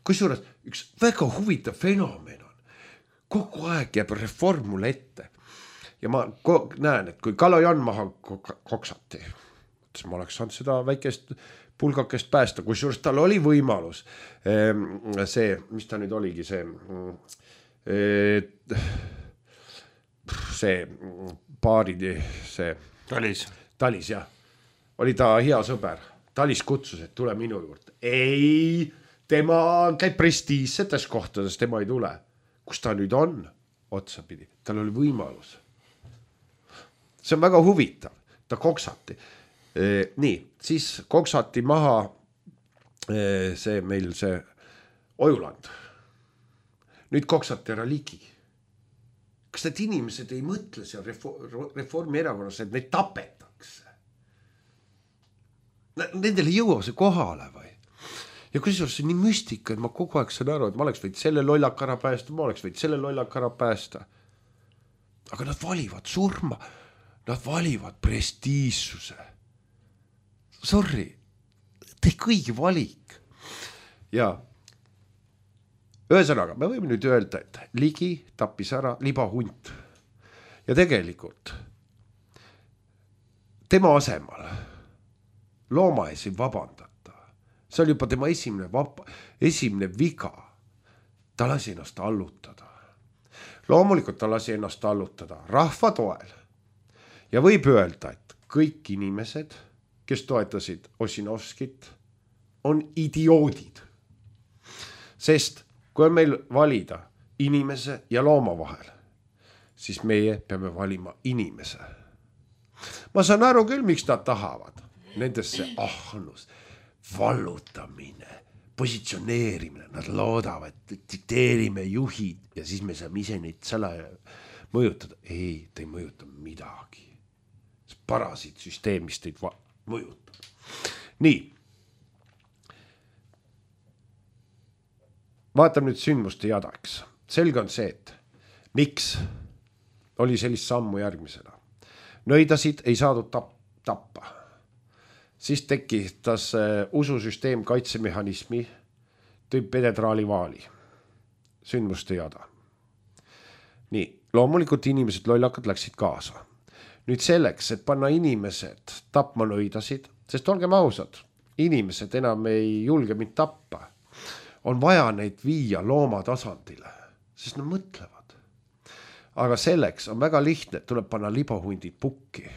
Kusjuures üks väga huvitav fenomen on. Kogu aeg jääb reform mulle ette. Ja ma näen, et kui Kalojan maha koksati, siis ma oleks saanud seda väikest pulgakest päästa, kusjuures tal oli võimalus see, mis ta nüüd oligi, see see paari, see Talis. Talis, jah. Oli ta hea sõber. Talis kutsus, et tule minu juurde. Ei, tema käib prestiisetes kohtades, tema ei tule. Kus ta nüüd on? Otsapidi. Tal oli võimalus. See on väga huvitav. Ta koksati. E, nii, siis koksati maha e, see meil see Ojuland. Nüüd koksati ära Ligi. Kas need inimesed ei mõtle seal reformi erakonnas, et neid tapetakse? Nendel ei jõua see kohale või? Ja kusjuures see nii müstika, et ma kogu aeg saan aru, et ma oleks võid selle lollak ära päästa, ma oleks võid selle lollak ära päästa. Aga nad valivad surma, nad valivad prestiissuse. Sorry, tee kõigi valik. Ja ühesõnaga, me võime nüüd öelda, et Ligi tappis ära libahunt. Ja tegelikult tema asemal looma ees ei vabandata. See oli juba tema esimene, vapa, esimene viga. Ta lasi ennast allutada. Loomulikult ta lasi ennast allutada rahva toel. Ja võib öelda, et kõik inimesed, kes toetasid Ossinovskit, on idioodid. Sest kui on meil valida inimese ja looma vahel, siis meie peame valima inimese. Ma saan aru küll, miks nad tahavad. Nendesse ahnus, vallutamine, positsioneerimine, nad loodavad, et tsiteerime juhid ja siis me saame ise neid sala mõjutada. Ei, te ei mõjuta midagi. See parasiitsüsteem, mis teid mõjutab. Nii. Vaatame nüüd sündmuste jadaks. Selge on see, et miks oli sellist sammu järgmisena. Nõidasid ei saadud tappa. Siis tekitas ususüsteem kaitsemehhanismi, tõi penetraali vaali. Sündmuste jada. Nii, loomulikult inimesed lollakad läksid kaasa. Nüüd selleks, et panna inimesed tapma nõidasid, sest olgem ausad, inimesed enam ei julge mind tappa, on vaja neid viia looma tasandile, sest nad mõtlevad. Aga selleks on väga lihtne, et tuleb panna libahundid pukki.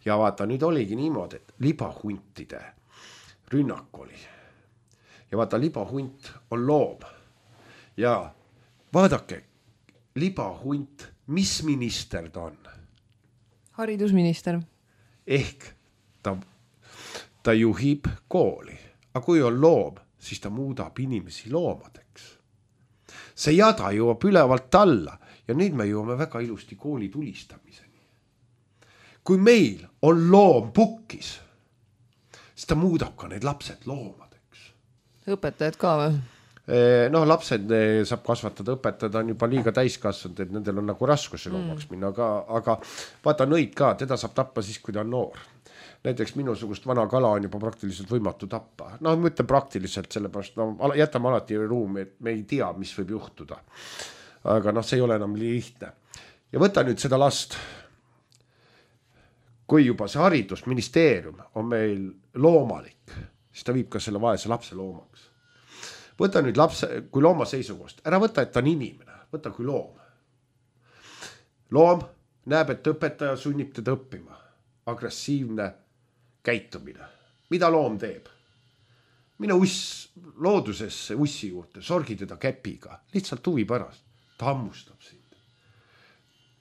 Ja vaata, nüüd oligi niimoodi, et libahuntide rünnak oli. Ja vaata, libahunt on loom. Ja vaadake, libahunt, mis minister ta on? Haridusminister. Ehk ta, ta juhib kooli. Aga kui on loom, siis ta muudab inimesi loomadeks. See jada jõuab ülevalt alla ja nüüd me jõuame väga ilusti kooli tulistamiseni. Kui meil on loom pukkis, siis ta muudab ka need lapsed loomadeks. Õpetajad ka või? Noh, lapsed saab kasvatada, õpetada on juba liiga täiskasvanud, et nendel on nagu raskusi loomaks minna, aga, aga vaata nõid ka, teda saab tappa siis, kui ta on noor. Näiteks minusugust vana kala on juba praktiliselt võimatu tappa. No ma ütlen praktiliselt, sellepärast no, jätame alati ruumi, et me ei tea, mis võib juhtuda. Aga noh, see ei ole enam lihtne. Ja võta nüüd seda last. Kui juba see haridusministeerium on meil loomalik, siis ta viib ka selle vaese lapse loomaks. Võta nüüd lapse, kui looma seisukohast, ära võta, et ta on inimene, võta kui loom. Loom näeb, et õpetaja sunnib teda õppima. Agressiivne käitumine. Mida loom teeb? Mine uss loodusesse ussi juurde, sorgi teda käpiga, lihtsalt huvi pärast. Ta hammustab sind.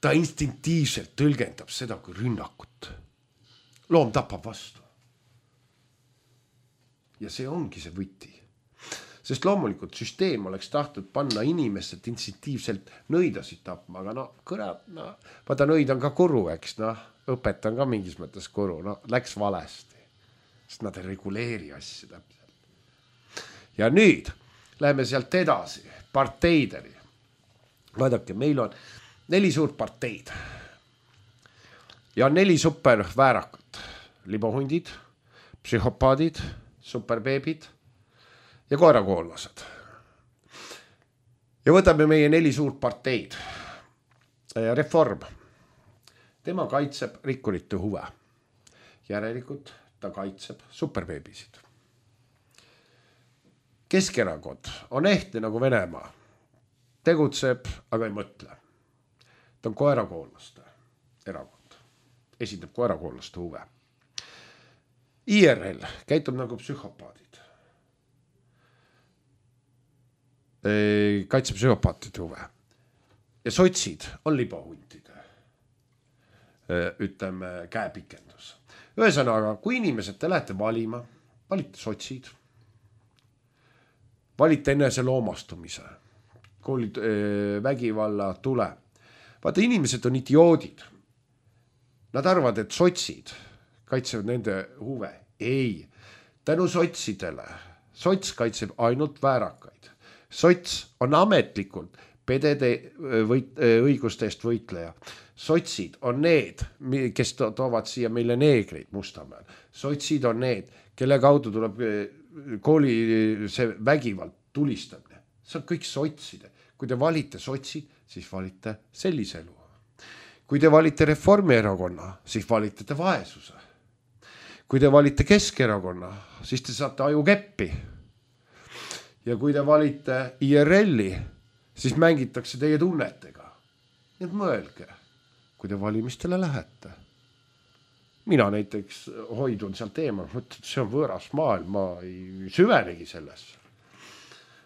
Ta instinktiivselt tõlgendab seda kui rünnakut. Loom tapab vastu. Ja see ongi see võti. Sest loomulikult süsteem oleks tahtnud panna inimesed instinktiivselt nõidasid tapma, aga no kõrad, no, vaata nõid on ka kuru, eks, no, õpet on ka mingis mõttes kuru, no, läks valesti. Sest nad ei reguleeri asju täpselt. Ja nüüd läheme sealt edasi, parteideni. Vaadake, meil on neli suurt parteid. Ja on neli super väärakat. Libohundid, psühhopaadid, superbeebid ja koerakoollased. Ja võtame meie neli suurt parteid. Reform. Tema kaitseb rikkurite huve. Järelikult ta kaitseb superbeebisid. Keskerakond on ehtne nagu Venemaa. Tegutseb, aga ei mõtle. Ta on koerakoolaste erakond. Esindab koerakoolaste huve. I R L käitub nagu psühhopaadid. Kaitseb psühhopaatide huve. Ja sotsid on libohuntide. Ütleme käepikendus. Ühesõnaga, kui inimesed te lähete valima, valite sotsid, valite enese loomastumise, koolid vägivalla tule. Vaata, inimesed on idioodid. Nad arvavad, et sotsid kaitsevad nende huve. Ei, tänu sotsidele. Sots kaitseb ainult väärakaid. Sots on ametlikult pedede võit, õiguste eest võitleja. Sotsid on need, kes to- toovad siia meile neegreid Mustamäel. Sotsid on need, kelle kaudu tuleb kooli see vägivald tulistamine. See on kõik sotside. Kui te valite sotsid, siis valite sellise elu. Kui te valite Reformierakonna, siis valite te vaesuse. Kui te valite Keskerakonna, siis te saate aju keppi. Ja kui te valite I R L-i, siis mängitakse teie tunnetega. Nii et mõelge, kui te valimistele lähete. Mina näiteks hoidun sealt eemal, mõtled, see on võõras maailm, ma ei süvenegi sellesse.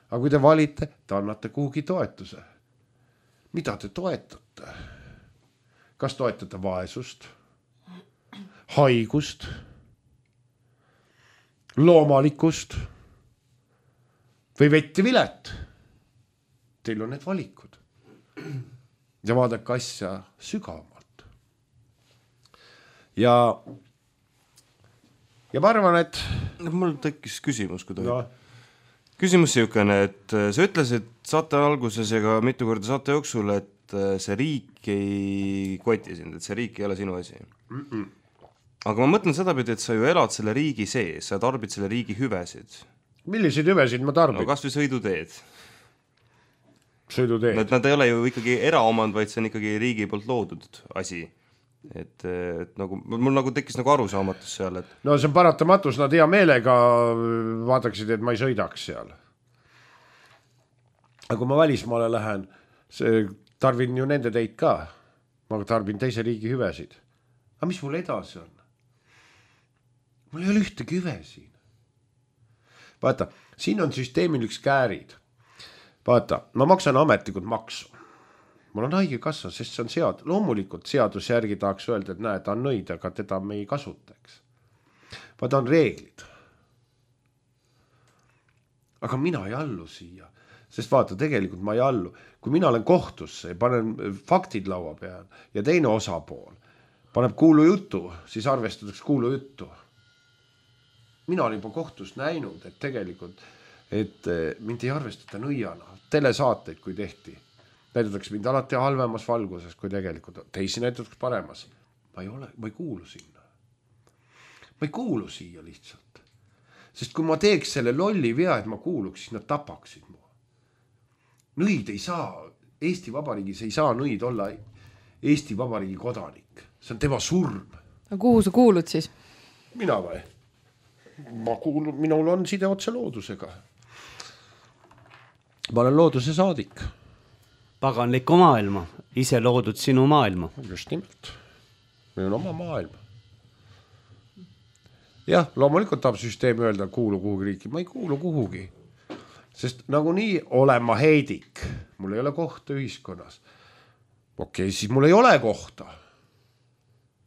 Aga kui te valite, te annate kuhugi toetuse. Mida te toetate? Kas toetate vaesust, haigust, loomalikkust või vetti vilet? Teil on need valikud. Ja vaadake asja sügavamalt. Ja, ja ma arvan, et... Mul tekkis küsimus, kui tohib. No. Küsimus siukene, et sa ütlesid saate alguses ja ka mitu korda saate jooksul, et see riik ei koti sind, et see riik ei ole sinu asi. Mm-mm. Aga ma mõtlen seda pidi, et sa ju elad selle riigi sees, sa tarbid selle riigi hüvesid. Milliseid hüvesid ma tarbin? No kas või sõiduteed. Sõiduteed. Nad, nad ei ole ju ikkagi eraomand, vaid see on ikkagi riigi poolt loodud asi. Et, et nagu, mul nagu tekkis nagu arusaamatus seal, et... No see on paratamatus, nad hea meelega vaataksid, et ma ei sõidaks seal. Aga kui ma välismaale lähen, see tarbin ju nende teid ka. Ma tarbin teise riigi hüvesid. Aga mis mul edasi on? Mul ei ole ühtegi hüve siin. Vaata, siin on süsteemil üks käärid. Vaata, ma maksan ametlikult maksu. Mul on haige kassa, sest see on sead. Loomulikult seaduse järgi tahaks öelda, et näe, ta on nõid, aga teda me ei kasutaks. Vaata, on reeglid. Aga mina ei allu siia. Sest vaata, tegelikult ma ei allu. Kui mina olen kohtusse ja panen faktid laua peal ja teine osapool paneb kuulu juttu, siis arvestatakse kuulu juttu. Mina olen juba kohtus näinud, et tegelikult et mind ei arvestata nõiana. Telesaateid, kui tehti. Näidatakse mind alati halvemas valguses, kui tegelikult teisi näidatakse paremas. Ma ei ole, ma ei kuulu sinna. Ma ei kuulu siia lihtsalt. Sest kui ma teeks selle lolli vea, et ma kuuluks, siis nad tapaksid mu. Nõid ei saa, Eesti Vabariigis ei saa nõid olla Eesti Vabariigi kodanik. See on tema surm. Aga kuhu sa kuulud siis? Mina või? Ma kuulun, minul on side otse loodusega. Ma olen looduse saadik. Paganlikku maailma ise loodud sinu maailma. Just nimelt. Meil on oma maailm. Jah, loomulikult tahab süsteem öelda kuulu kuhugi riiki. Ma ei kuulu kuhugi. Sest nagu nii olen ma heidik. Mul ei ole kohta ühiskonnas. Okei, siis mul ei ole kohta.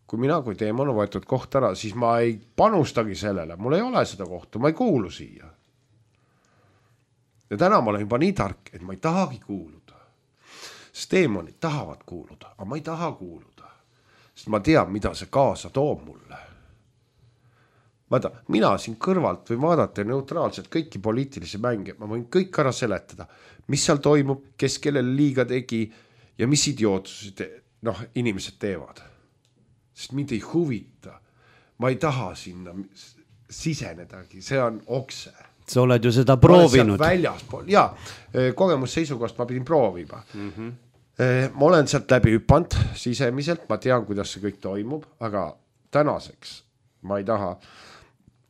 Kui mina, kui teema on võetud koht ära, siis ma ei panustagi sellele. Mul ei ole seda kohta, ma ei kuulu siia. Ja täna ma olen juba nii tark, et ma ei tahagi kuuluda. Sest teemonid tahavad kuuluda, aga ma ei taha kuuluda. Sest ma tean, mida see kaasa toob mulle. Vaata, mina siin kõrvalt või vaadata neutraalselt kõiki poliitilisi mänge, ma võin kõik ära seletada, mis seal toimub, kes kellele liiga tegi ja mis idiootsused noh, inimesed teevad. Sest mind ei huvita, ma ei taha sinna sisenedagi, see on okse. Sa oled ju seda proovinud. Väljaspool, jaa, kogemusseisukohast ma pidin proovima. Mm-hmm. Ma olen sealt läbi hüpanud sisemiselt, ma tean, kuidas see kõik toimub, aga tänaseks ma ei taha.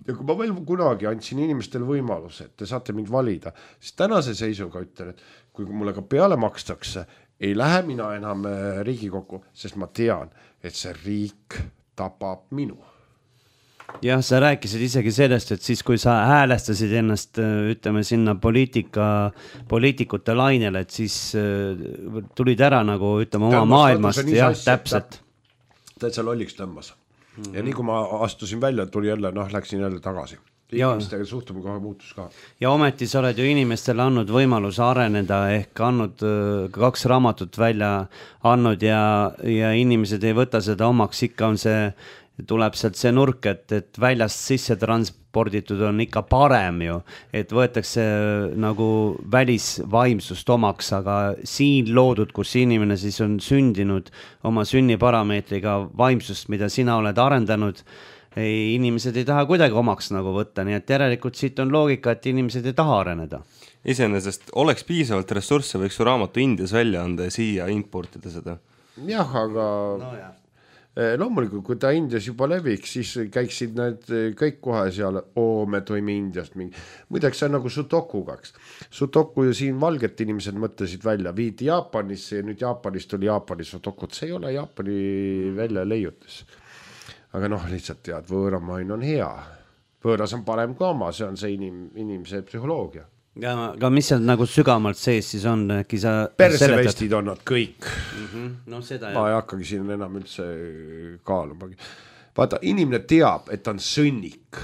Ja kui ma veel kunagi andsin inimestele võimaluse, et te saate mind valida, siis tänase seisuga ütlen, et kui mulle ka peale makstakse, ei lähe mina enam Riigikokku, sest ma tean, et see riik tapab minu. Jah, sa rääkisid isegi sellest, et siis kui sa häälestasid ennast, ütleme sinna poliitika, poliitikute lainele, et siis tulid ära nagu, ütleme, oma maailmast. Jah, täpselt. Täitsa lolliks tõmbas. Mm-hmm. Ja nii kui ma astusin välja, tuli jälle, noh, läksin jälle tagasi. Inimestega suhtumine kohe muutus ka. Ja ometi sa oled ju inimestele andnud võimaluse areneda ehk andnud kaks raamatut välja andnud ja, ja inimesed ei võta seda omaks, ikka on see, tuleb sealt see nurk, et, et väljast sisse transporditud on ikka parem ju, et võetakse nagu välisvaimsust omaks, aga siin loodud, kus inimene siis on sündinud oma sünniparameetriga vaimsust, mida sina oled arendanud, ei, inimesed ei taha kuidagi omaks nagu võtta, nii et järelikult siit on loogika, et inimesed ei taha areneda. Iseenesest oleks piisavalt ressursse, võiks su raamatu Indias välja anda ja siia importida seda. Jah, aga no, jah. Loomulikult, kui ta Indias juba leviks, siis käiksid need kõik kohe seal, oo, me toime Indiast mingi. Muideks see on nagu Sudoku kaks. Sudoku ja siin valget inimesed mõtlesid välja, viidi Jaapanisse ja nüüd Jaapanist oli Jaapani Sudokut. See ei ole Jaapani välja leiutis. Aga noh, lihtsalt tead, võõramain on hea. Võõras on parem kui oma, see on see inim, inimese psühholoogia. Ja, aga mis seal nagu sügamalt sees siis on? Sa persevestid on nad kõik. Mm-hmm. No, seda, ma ei hakkagi siin enam üldse kaalumagi. Vaata, inimene teab, et ta on sõnnik.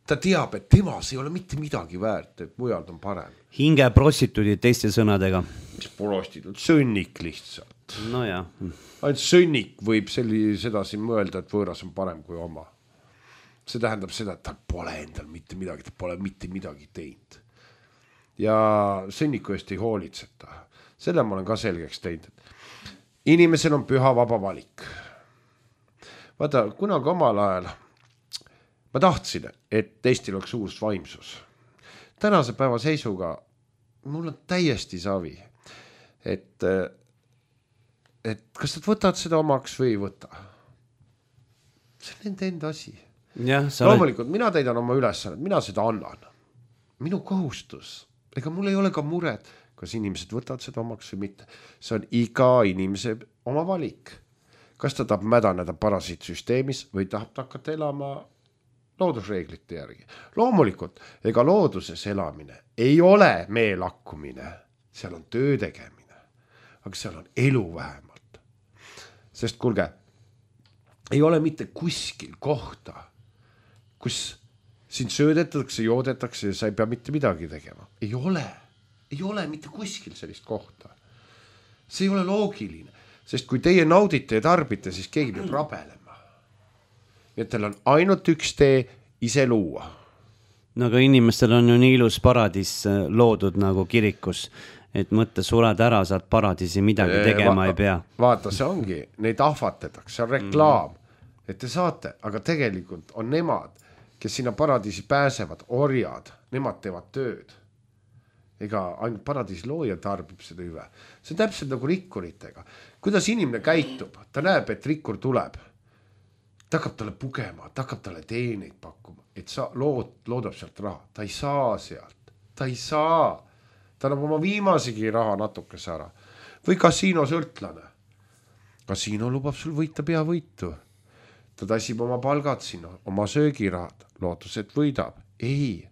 Ta teab, et temas ei ole mitte midagi väärt, et mujal on parem. Hinge prostituudid teiste sõnadega. Mis prostituud? Sõnnik lihtsalt. No jah. Ainult sõnnik võib selli, seda siin mõelda, et võõras on parem kui oma. See tähendab seda, et ta pole endal mitte midagi, ta pole mitte midagi teinud. Ja sõnniku eest ei hoolitseta. Selle ma olen ka selgeks teinud. Inimesel on püha vaba valik. Vaata, kunagi omal ajal ma tahtsin, et Eestil oleks uus vaimsus. Tänase päeva seisuga mul on täiesti savi, et, et kas nad võtavad seda omaks või ei võta. See on nende enda asi. Ja, loomulikult, mina täidan oma ülesannet, mina seda annan. Minu kohustus. Ega mul ei ole ka mured, kas inimesed võtavad seda omaks või mitte. See on iga inimese oma valik. Kas ta tahab mädaneda parasiitsüsteemis või tahab ta hakata elama loodusreeglite järgi. Loomulikult, ega looduses elamine ei ole meelakkumine. Seal on töö tegemine. Aga seal on elu vähemalt. Sest kuulge, ei ole mitte kuskil kohta, kus siin söödetakse, joodetakse ja sa ei pea mitte midagi tegema. Ei ole. Ei ole mitte kuskil sellist kohta. See ei ole loogiline. Sest kui teie naudite ja tarbite, siis keegi peab rabelema. Ja teil on ainult üks tee ise luua. No aga inimestel on ju nii ilus paradiis loodud nagu kirikus, et mõtte suled ära, saad paradiisi midagi tegema Va- ei pea. Vaata, see ongi. Neid ahvatetakse, see on reklaam. Mm. Et te saate, aga tegelikult on nemad, kes sinna paradiisi pääsevad, orjad, nemad teevad tööd. Ega ainult paradiisi looja tarbib seda hüve. See on täpselt nagu rikkuritega. Kuidas inimene käitub? Ta näeb, et rikkur tuleb. Ta hakkab talle pugema, ta hakkab talle teeneid pakkuma, et sa lood, loodab sealt raha. Ta ei saa sealt. Ta ei saa. Ta annab oma viimasegi raha natukese ära. Või kasiinosõltlane. kasiino lubab sul võita peavõitu. Ta tassib oma palgad sinna, oma söögirahad, lootus, et võidab. Ei,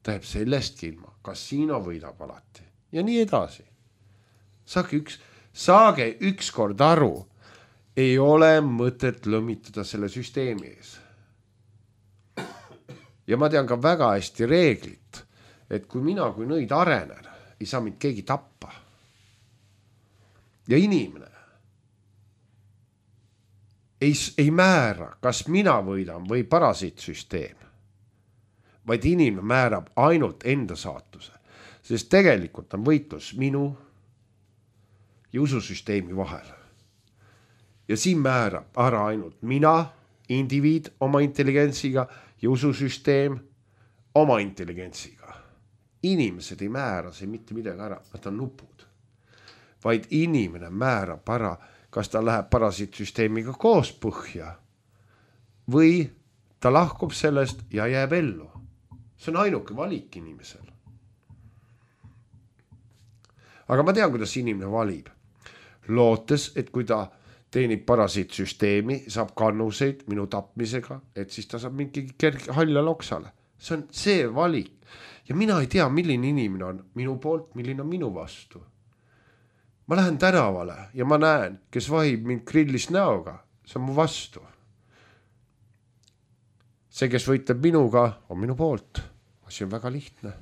ta jääb sellestki ilma. Kasiino võidab alati. Ja nii edasi. Saage üks, saage üks kord aru, ei ole mõtet lõmitada selle süsteemi ees. Ja ma tean ka väga hästi reeglit, et kui mina kui nõid arenen, ei saa mind keegi tappa. Ja inimene ei, ei määra, kas mina võidan või parasiitsüsteem, vaid inimene määrab ainult enda saatuse, sest tegelikult on võitlus minu ja ususüsteemi vahel. Ja siin määrab ära ainult mina, indiviid oma intelligentsiga ja ususüsteem oma intelligentsiga. Inimesed ei määra see mitte midagi ära, nad on nupud. Vaid inimene määrab ära, kas ta läheb parasiitsüsteemiga koos põhja või ta lahkub sellest ja jääb ellu. See on ainuke valik inimesel. Aga ma tean, kuidas inimene valib. Lootes, et kui ta teenib parasiitsüsteemi, saab kannuseid minu tapmisega, et siis ta saab mingi kerge halla loksale. See on see valik. Ja mina ei tea, milline inimene on minu poolt, milline on minu vastu. Ma lähen tänavale ja ma näen, kes vahib mind grillis näoga, see on mu vastu. See, kes võitleb minuga, on minu poolt. See on väga lihtne.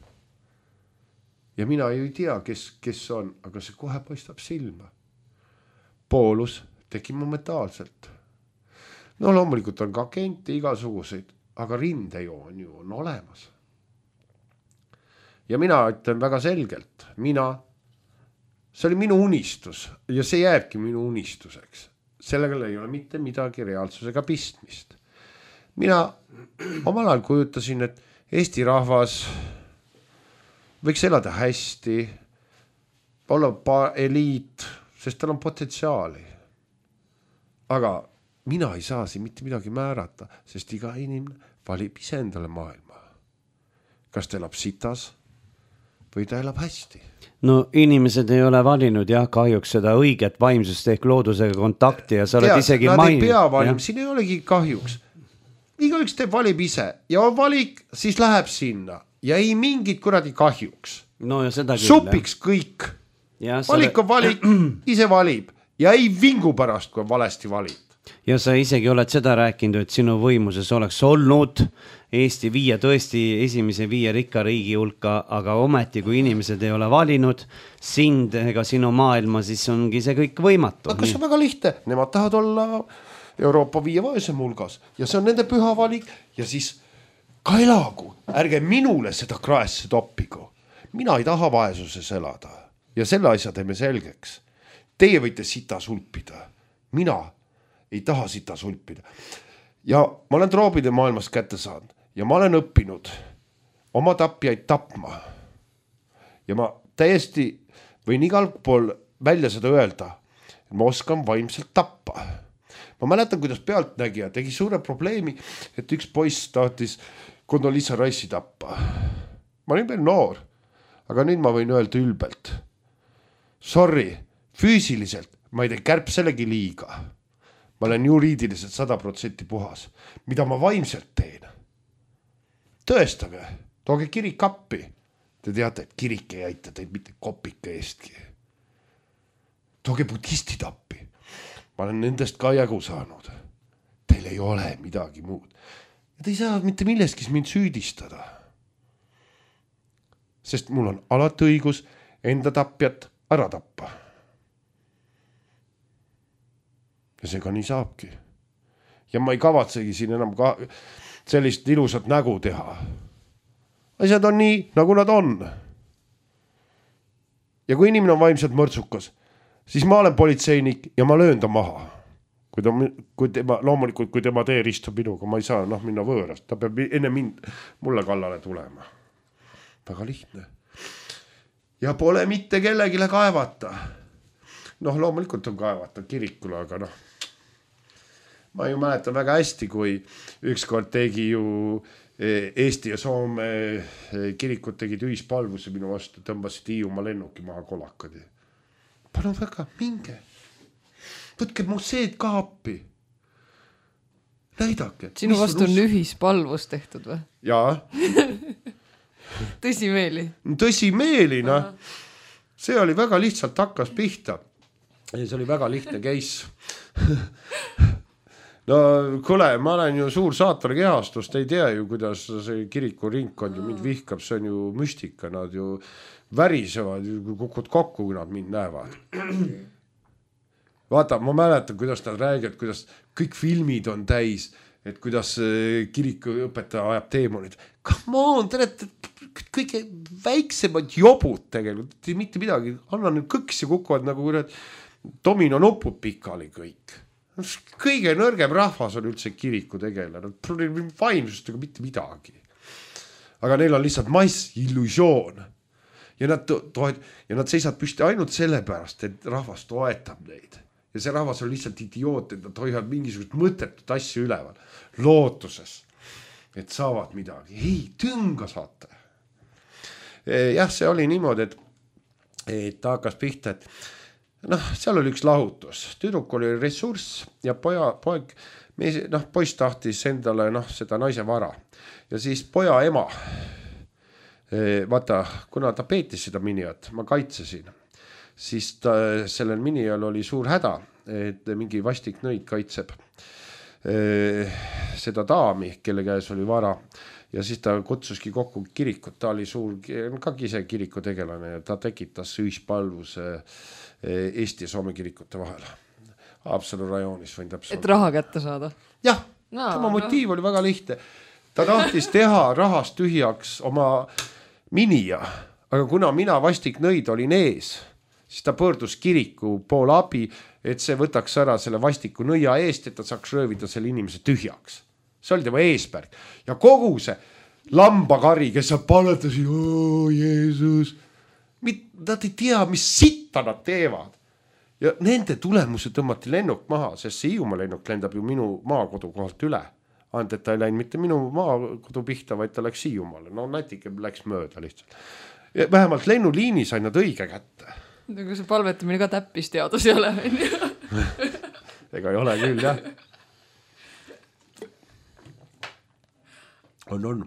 Ja mina ei tea, kes, kes on, aga see kohe paistab silma. Poolus tekib momentaalselt. No loomulikult on ka agente igasuguseid, aga rindejoon ju on olemas. Ja mina ütlen väga selgelt, mina, see oli minu unistus ja see jääbki minu unistuseks. Sellega ei ole mitte midagi reaalsusega pistmist. Mina omal ajal kujutasin, et Eesti rahvas võiks elada hästi, olla eliit, sest tal on potentsiaali. Aga mina ei saa siin mitte midagi määrata, sest iga inimene valib ise endale maailma. Kas ta elab sitas või ta elab hästi? No inimesed ei ole valinud jah, kahjuks seda õiget vaimsust ehk loodusega kontakti ja sa oled Tead, isegi nad maininud. Nad ei pea valim, siin ei olegi kahjuks. Igaüks teeb valib ise ja valik siis läheb sinna ja ei mingit kuradi kahjuks. No ja seda küll. Supiks kõik. Ja valik on valik, ise valib ja ei vingu pärast, kui on valesti valid. Ja sa isegi oled seda rääkinud, et sinu võimuses oleks olnud Eesti viia tõesti esimese viie rikka riigi hulka, aga ometi, kui inimesed ei ole valinud sind ega sinu maailma, siis ongi see kõik võimatu. Aga see on väga lihtne, nemad tahavad olla Euroopa viie vaesem hulgas ja see on nende püha valik ja siis ka elagu, ärge minule seda kraesse toppigu. Mina ei taha vaesuses elada ja selle asja teeme selgeks. Teie võite sita sulpida, mina ei taha sita sulpida. Ja ma olen troobide maailmast kätte saanud ja ma olen õppinud oma tapjaid tapma. Ja ma täiesti võin igal pool välja seda öelda, et ma oskan vaimselt tappa. Ma mäletan, kuidas pealtnägija tegi suure probleemi, et üks poiss tahtis Condoleezza Rice'i tappa. Ma olin veel noor, aga nüüd ma võin öelda ülbelt. Sorry, füüsiliselt ma ei tee kärbselegi liiga. Ma olen juriidiliselt sada protsenti puhas. Mida ma vaimselt teen? Tõestage, tooge kirik appi. Te teate, et kirik ei aita teid mitte kopike eestki. Tooge budistid appi. Ma olen nendest ka jagu saanud. Teil ei ole midagi muud. Ja te ei saa mitte milleski mind süüdistada. Sest mul on alati õigus enda tapjat ära tappa. Ja see ka nii saabki. Ja ma ei kavatsegi siin enam ka sellist ilusat nägu teha. Asjad on nii, nagu nad on. Ja kui inimene on vaimselt mõrtsukas, siis ma olen politseinik ja ma löön ta maha. Kui ta, kui tema, loomulikult, kui tema tee ristub minuga, ma ei saa noh, minna võõrast. Ta peab enne mind mulle kallale tulema. Väga lihtne. Ja pole mitte kellegile kaevata. Noh, loomulikult on kaevata kirikule, aga noh. Ma ju mäletan väga hästi, kui ükskord tegi ju Eesti ja Soome kirikut tegid ühispalvuse minu vastu, tõmbasid Hiiumaa lennuki maha kolakad. Palun väga, minge. võtke museed ka appi. Näidake. Sinu vastu on ühispalvus tehtud või? Jaa. Tõsimeeli? Tõsimeeli, noh. See oli väga lihtsalt hakkas pihta. Ja see oli väga lihtne case. No kuule, ma olen ju suur saatori kehastust, ei tea ju, kuidas see kiriku ringkond ju mind vihkab, see on ju müstika, nad ju värisevad, kukud kokku, kui nad mind näevad. Vaata, ma mäletan, kuidas nad räägivad, kuidas kõik filmid on täis, et kuidas kiriku õpetaja ajab teemonid. Come on, te olete kõige väiksemad jobud tegelikult, mitte midagi, anna nüüd kõks ja kukuvad nagu domino nupud pikali kõik. Kõige nõrgem rahvas on üldse kiriku tegelane, vaimsustega mitte midagi. Aga neil on lihtsalt mass illusioon. Ja nad, toet, ja nad seisavad püsti ainult sellepärast, et rahvas toetab neid. Ja see rahvas on lihtsalt idioot, et nad hoiavad mingisugust mõttetut asju üleval. Lootuses, et saavad midagi. Ei, tünga saate. Jah, see oli niimoodi, et, et ta hakkas pihta, et noh, seal oli üks lahutus. Tüdruk oli ressurss ja poja, poeg, noh, poiss tahtis endale noh, seda naise vara. Ja siis poja ema, vaata, kuna ta peetis seda miniat, ma kaitsesin, siis ta, sellel minijal oli suur häda, et mingi vastik nõid kaitseb seda daami, kelle käes oli vara. Ja siis ta kutsuski kokku kirikut, ta oli suur, ka ise kiriku tegelane ja ta tekitas ühispalvuse Eesti ja Soome kirikute vahel. Haapsalu rajoonis võin täpselt. Et raha kätte saada? Jah, no, tema motiiv no. oli väga lihtne. Ta tahtis teha rahast tühjaks oma minija, aga kuna mina vastik nõid olin ees, siis ta pöördus kiriku poole abi, et see võtaks ära selle vastiku nõia eest, et ta saaks röövida selle inimese tühjaks. See oli tema eesmärk. Ja kogu see lambakari, kes sa paletasid, oo Jeesus, nad ei tea, mis sitta nad teevad. Ja nende tulemuse tõmmati lennuk maha, sest see Hiiumaa lennuk lendab ju minu maakodu kohalt üle. Ainult, et ta ei läinud mitte minu maakodu pihta, vaid ta läks Hiiumaale. No natike läks mööda lihtsalt. Ja vähemalt lennuliini sai nad õige kätte. Aga see palvetamine ka täppis teadus ei ole. Ega ei ole küll, jah. On, on.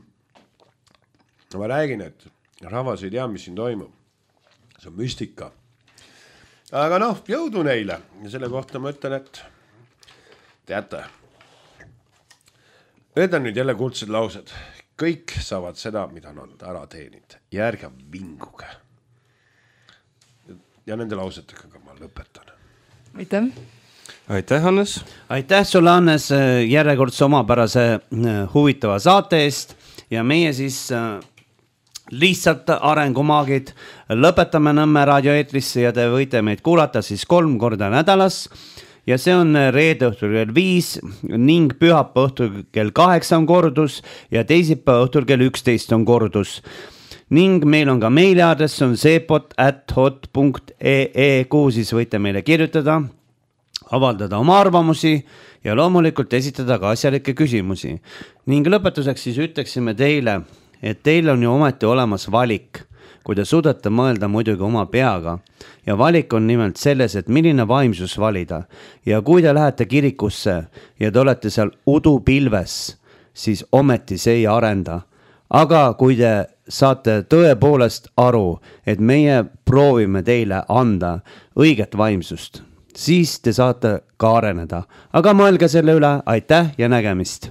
Ma räägin, et rahvas ei tea, mis siin toimub. See on müstika. Aga noh, jõudu neile. Ja selle kohta ma ütlen, et teate, need on nüüd jälle kuldsed laused. Kõik saavad seda, mida nad ära teenid. Ja ärge vinguge. Ja nende lausetega ka ma lõpetan. Aitäh. Aitäh, Hannes. Aitäh sulle, Hannes, järjekordse omapärase huvitava saate eest. Ja meie siis lihtsalt arengumaagid lõpetame Nõmme raadioeetrisse ja te võite meid kuulata siis kolm korda nädalas. Ja see on reede õhtul kell viis ning pühapa õhtul kell kaheksa on kordus ja teisipäeva õhtul kell üksteist on kordus. Ning meil on ka meiliaadress on seepot at hot punkt ee, kuhu siis võite meile kirjutada, avaldada oma arvamusi ja loomulikult esitada ka asjalikke küsimusi. Ning lõpetuseks siis ütleksime teile, et teil on ju ometi olemas valik, kui te suudate mõelda muidugi oma peaga. Ja valik on nimelt selles, et milline vaimsus valida. Ja kui te lähete kirikusse ja te olete seal udupilves, siis ometi see ei arenda. Aga kui te saate tõepoolest aru, et meie proovime teile anda õiget vaimsust, siis te saate ka areneda. Aga mõelge selle üle, aitäh ja nägemist!